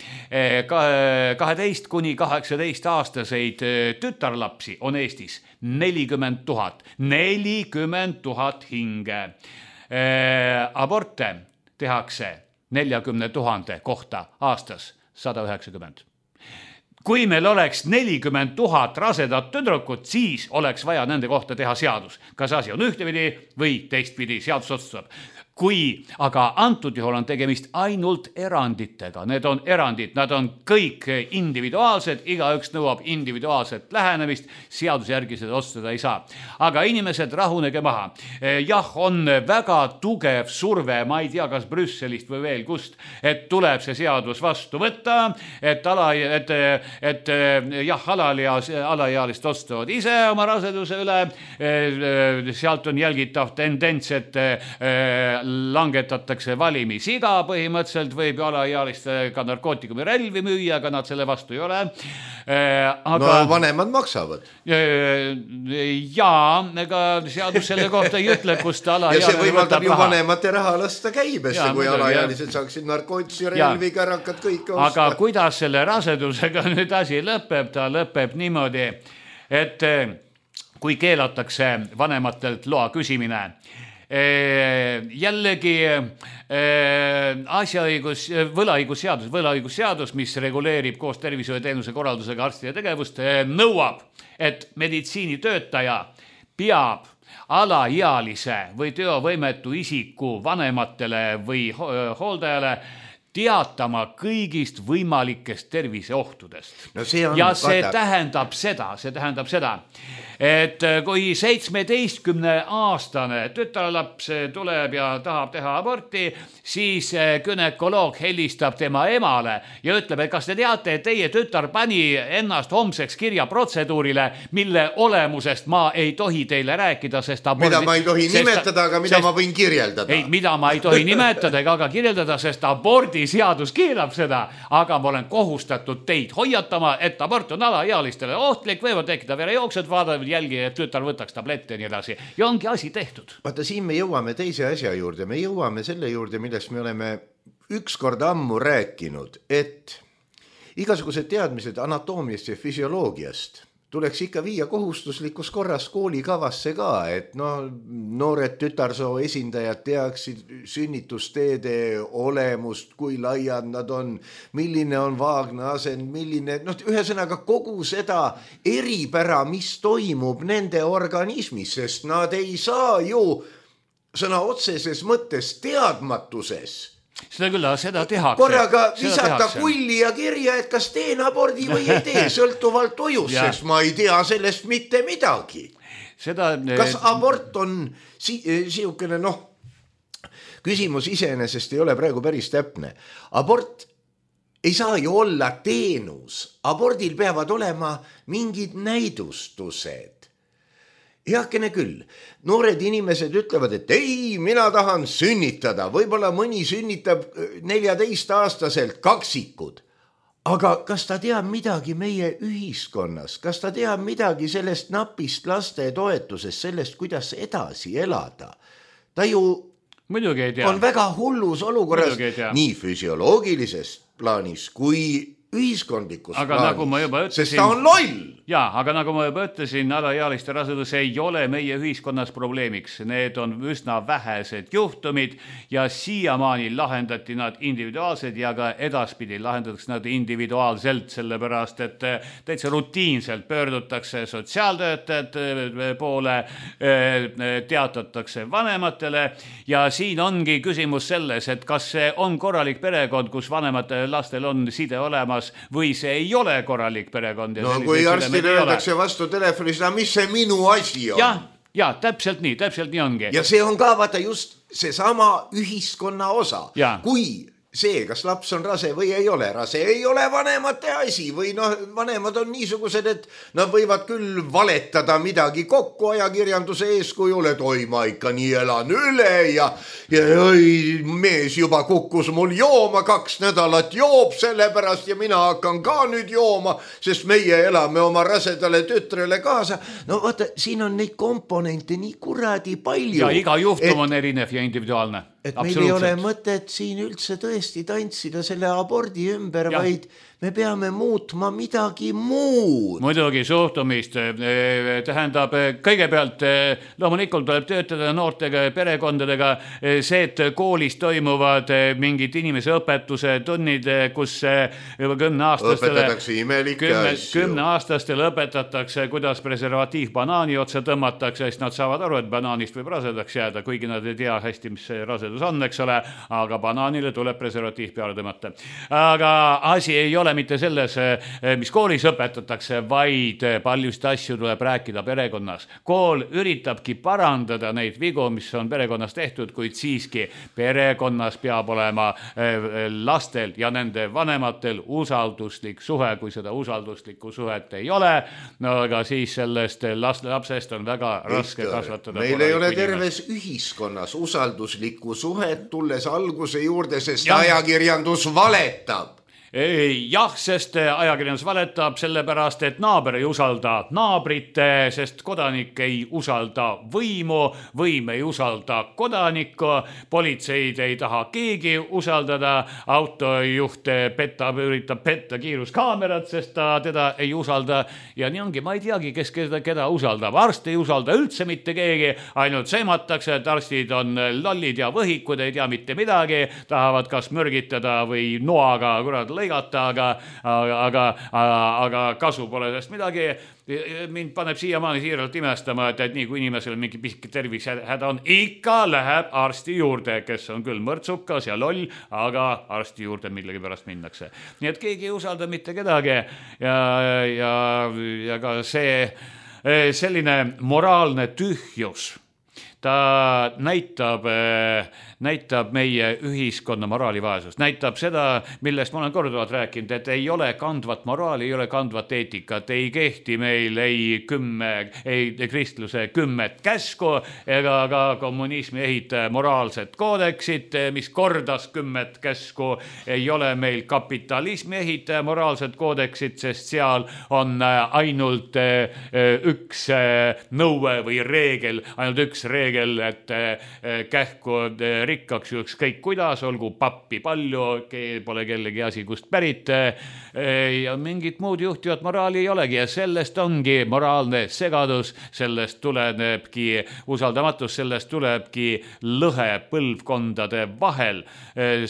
Speaker 4: 12 kuni 18 aastaseid tütarlapsi on Eestis 40 000. 40 000 hinge. Aborte tehakse 40 000 kohta aastas 190. Kui meil oleks 40 000 rasedat tüdrukut, siis oleks vaja nende kohta teha seadus. Kas asi on ühtepidi või teistpidi, seadus otsustab. Kui aga antud juhul on tegemist ainult eranditega, need on erandid, nad on kõik individuaalsed, igaüks nõuab individuaalset lähenemist, seaduse järgi seda otsustada ei saa. Aga inimesed, rahunege maha. Jah, on väga tugev surve, ma ei tea, kas Brüsselist või veel kust, et tuleb see seadus vastu võtta, et alaealist otsustavad ise oma raseduse üle, sealt on jälgitav tendents, et langetatakse valimisiga, põhimõtteliselt võib alaealiste ka narkootikumi relvi müüa, aga nad selle vastu ei ole.
Speaker 3: No vanemad maksavad.
Speaker 4: Jaa, ega seadus selle kohta ei ütle, kust alaealine
Speaker 3: ja see võimaldab ju vanemate raha lasta käibesse, kui alaealised saaksid narkootisi relvi, kärakad, kõik osta.
Speaker 4: Aga kuidas selle rasedusega nüüd asi lõpeb? Ta lõpeb niimoodi, et kui keelatakse vanematelt loa küsimine, jällegi võlaõigusseadus, mis reguleerib koos tervishoiuteenuse korraldusega arstide tegevust, nõuab, et meditsiinitöötaja peab alaealise või teovõimetu isiku vanematele või hooldajale teatama kõigist võimalikest terviseohtudest.
Speaker 3: No see
Speaker 4: tähendab seda, et kui 17-aastane tütarlaps tuleb ja tahab teha aborti, siis gynekoloog helistab tema emale ja ütleb, et kas te teate, et teie tütar pani ennast homseks kirja protseduurile, mille olemusest ma ei tohi teile rääkida, sest
Speaker 3: mida ma ei tohi nimetada, aga mida ma võin kirjeldada.
Speaker 4: Ei, mida ma ei tohi nimetada ega ka kirjeldada, sest abordiseadus keelab seda, aga ma olen kohustatud teid hoiatama, et abort on alaealistele ohtlik, võivad tekkida verejooksed, vaadavad jälgi, et tütar võtaks tablette ja nii edasi. Ja ongi asi tehtud.
Speaker 3: Vaata, siin me jõuame teise asja juurde. Me jõuame selle juurde, millest me oleme ükskord ammu rääkinud, et igasugused teadmised anatoomiast ja füsioloogiast tuleks ikka viia kohustuslikus korras koolikavasse ka, et noored tütarsoo esindajad teaksid sünnitusteede olemust, kui laiad nad on, milline on vaagna asend, milline, ühesõnaga kogu seda eripära, mis toimub nende organismis, sest nad ei saa ju sõna otseses mõttes teadmatuses
Speaker 4: Seda küll, seda tehakse.
Speaker 3: Korraga visata kulli ja kirja, et kas teen abordi või ei tee, sõltuvalt ojust, sest ma ei tea sellest mitte midagi. Kas abort on siukene, küsimus iseenesest ei ole praegu päris täpne. Abort ei saa ju olla teenus. Abordil peavad olema mingid näidustused. Heakene küll, noored inimesed ütlevad, et ei, mina tahan sünnitada. Võib-olla mõni sünnitab 14-aastaselt kaksikud. Aga kas ta teab midagi meie ühiskonnas? Kas ta teab midagi sellest napist laste toetusest, sellest, kuidas edasi elada? Ta ju on väga hullus olukorras nii füsioloogilises plaanis kui ühiskondlikus plaanis, sest ta on loll.
Speaker 4: Jaa, aga nagu ma juba ütlesin, alaealiste rasedus ei ole meie ühiskonnas probleemiks. Need on üsna vähesed juhtumid ja siiamaani lahendati nad individuaalselt ja ka edaspidi lahendatakse nad individuaalselt, sellepärast, et täitsa rutiinselt pöördutakse sotsiaaltöötajate poole, teatatakse vanematele ja siin ongi küsimus selles, et kas see on korralik perekond, kus vanematele lastel on side olemas või see ei ole korralik perekond.
Speaker 3: No kui arstile öeldakse vastu telefonis, mis see minu asi on?
Speaker 4: Ja, täpselt nii ongi.
Speaker 3: Ja see on ka vaata just seesama ühiskonna osa. Kui see, kas laps on rase või ei ole rase, ei ole vanemate asi või vanemad on niisugused, et nad võivad küll valetada midagi kokku ajakirjanduse eeskujul, et oi, ma ikka nii elan üle ja oi, mees juba kukkus mul jooma, 2 nädalat joob sellepärast ja mina hakkan ka nüüd jooma, sest meie elame oma rasedale tütrele kaasa. No vaata, siin on neid komponente nii kuradi palju.
Speaker 4: Ja iga juhtum on erinev ja individuaalne.
Speaker 3: Et meil ei ole mõtet siin üldse tõesti tantsida selle abordi ümber, vaid me peame muutma midagi muud.
Speaker 4: Muidugi suhtumist tähendab kõigepealt loomulikult tuleb töötada noortega perekondadega see, et koolis toimuvad mingid inimese õpetuse tunnid, kus juba 10-aastastele õpetatakse, kuidas preservatiiv banaani otsa tõmmatakse, sest nad saavad aru, et banaanist võib rasedaks jääda, kuigi nad ei tea hästi, mis see rasedus on, eks ole, aga banaanile tuleb preservatiiv peale tõmmata. Aga asi ei ole mitte selles, mis koolis õpetatakse, vaid paljust asju tuleb rääkida perekonnas. Kool üritabki parandada neid vigu, mis on perekonnas tehtud, kuid siiski perekonnas peab olema lastel ja nende vanematel usalduslik suhe, kui seda usalduslikku suhet ei ole, no aga siis sellest lapsest on väga raske kasvatada.
Speaker 3: Meil ei ole terves ühiskonnas usalduslikku suhet, tulles alguse juurde, sest ajakirjandus valetab.
Speaker 4: Jah, sest ajakirjandus valetab sellepärast, et naaber ei usalda naabrit, sest kodanik ei usalda võimu, võim ei usalda kodanikku, politseid ei taha keegi usaldada, autojuht üritab petta kiiruskaamerat, sest ta teda ei usalda ja nii ongi, ma ei teagi, kes keda usaldab. Arst ei usalda üldse mitte keegi, ainult sematakse, et arstid on lollid ja võhikud, ei tea mitte midagi, tahavad kas mürgitada või noaga lõigata, aga kasu pole sellest midagi. Mind paneb siiamaani siiralt imestama, et nii kui inimesel mingi pisike tervisehäda on, ikka läheb arsti juurde, kes on küll mõrtsukas ja loll, aga arsti juurde millegi pärast minnakse. Nii et keegi ei usalda mitte kedagi ja ka see selline moraalne tühjus, ta näitab meie ühiskonna moraalivaesust, näitab seda, millest ma olen korduvalt rääkinud, et ei ole kandvat moraali, ei ole kandvat eetikat, ei kehti meil ei kristluse 10 käsku ega ka kommunismi ehitaja moraalset koodeksit, mis kordas 10 käsku, ei ole meil kapitalismi ehitaja moraalset koodeksit, sest seal on ainult üks nõue või reegel, ainult üks reegel, et kähku rikkaks ükskõik kuidas, olgu pappi palju, pole kellegi asi kust pärit ja mingit muud juhtivat moraali ei olegi ja sellest ongi moraalne segadus, sellest tulenebki usaldamatus, sellest tulebki lõhe põlvkondade vahel,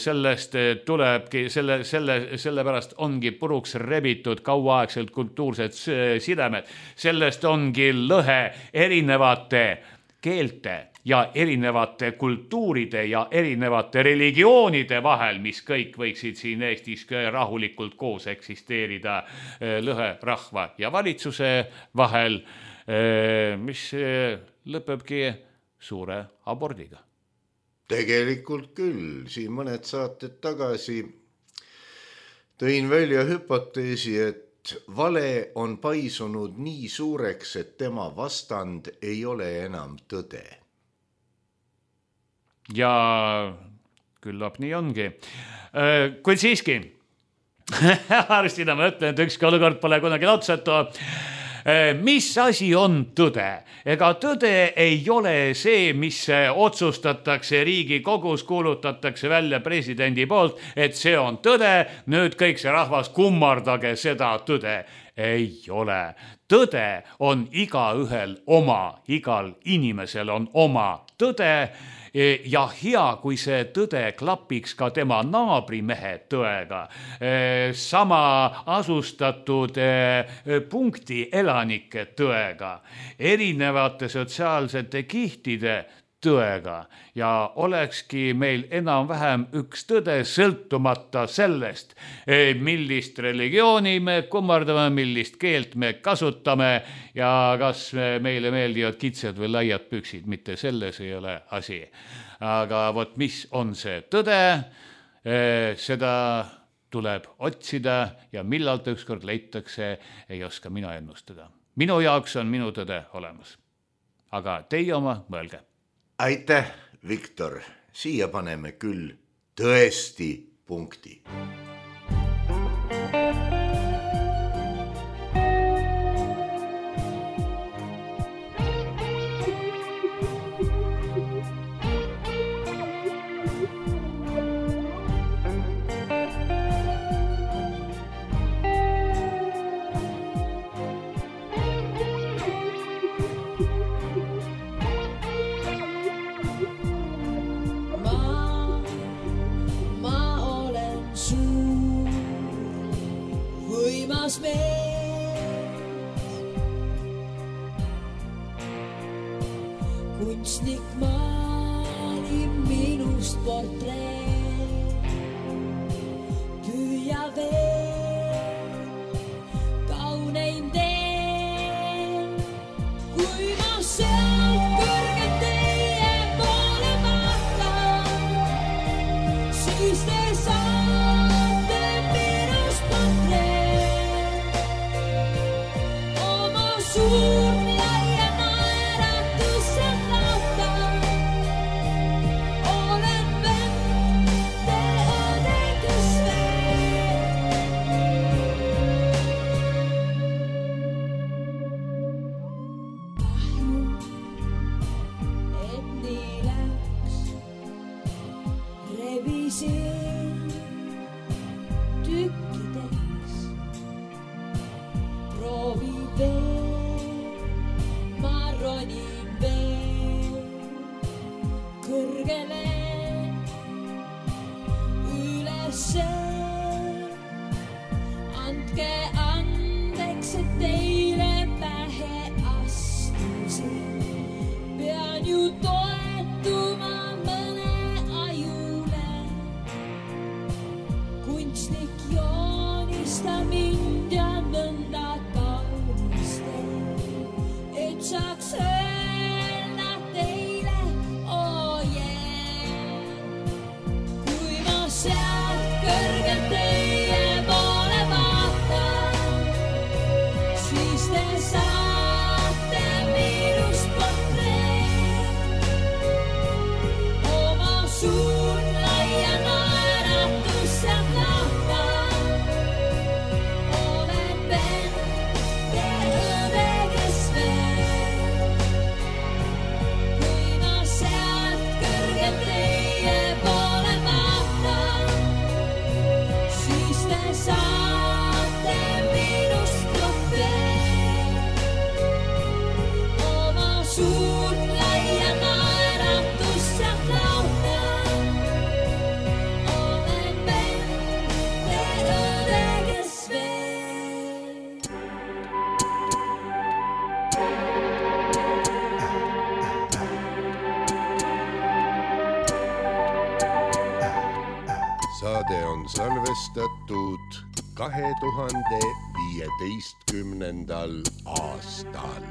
Speaker 4: sellest tulebki, sellepärast ongi puruks rebitud kauaaegselt kultuursed sidemed, sellest ongi lõhe erinevate keelte ja erinevate kultuuride ja erinevate religioonide vahel, mis kõik võiksid siin Eestis rahulikult koos eksisteerida lõhe rahva ja valitsuse vahel, mis lõpebki suure abordiga.
Speaker 3: Tegelikult küll, siin mõned saated tagasi tõin välja hüpoteesi, et vale on paisunud nii suureks, et tema vastand ei ole enam tõde.
Speaker 4: Ja küllap nii ongi. Kuid siiski, arstina ma ütlen, et ükski olukord pole kunagi otsatu. Mis asi on tõde? Ega tõde ei ole see, mis otsustatakse Riigikogus, kuulutatakse välja presidendi poolt, et see on tõde, nüüd kõik see rahvas kummardage seda tõde. Ei ole. Tõde on igaühel oma, igal inimesel on oma tõde ja hea, kui see tõde klapiks ka tema naabrimehe tõega, sama asustatud punkti elanike tõega, erinevate sotsiaalsete kihtide tõega ja olekski meil enam-vähem üks tõde sõltumata sellest, millist religiooni me kummardame, millist keelt me kasutame ja kas meile meeldivad kitsed või laiad püksid, mitte selles ei ole asi. Aga vot mis on see tõde, seda tuleb otsida ja millal ta ükskord leitakse, ei oska mina ennustada. Minu jaoks on minu tõde olemas. Aga teie oma mõelge.
Speaker 3: Aitäh, Viktor. Siia paneme küll tõesti punkti.
Speaker 5: Kunstnik maali minust portreet, püüa veel kauneim teen, kui ma sealt kõrgelt teie poole vaatan, siis te saate minust portreet, oma suurt
Speaker 3: saade on salvestatud 2015. aastal.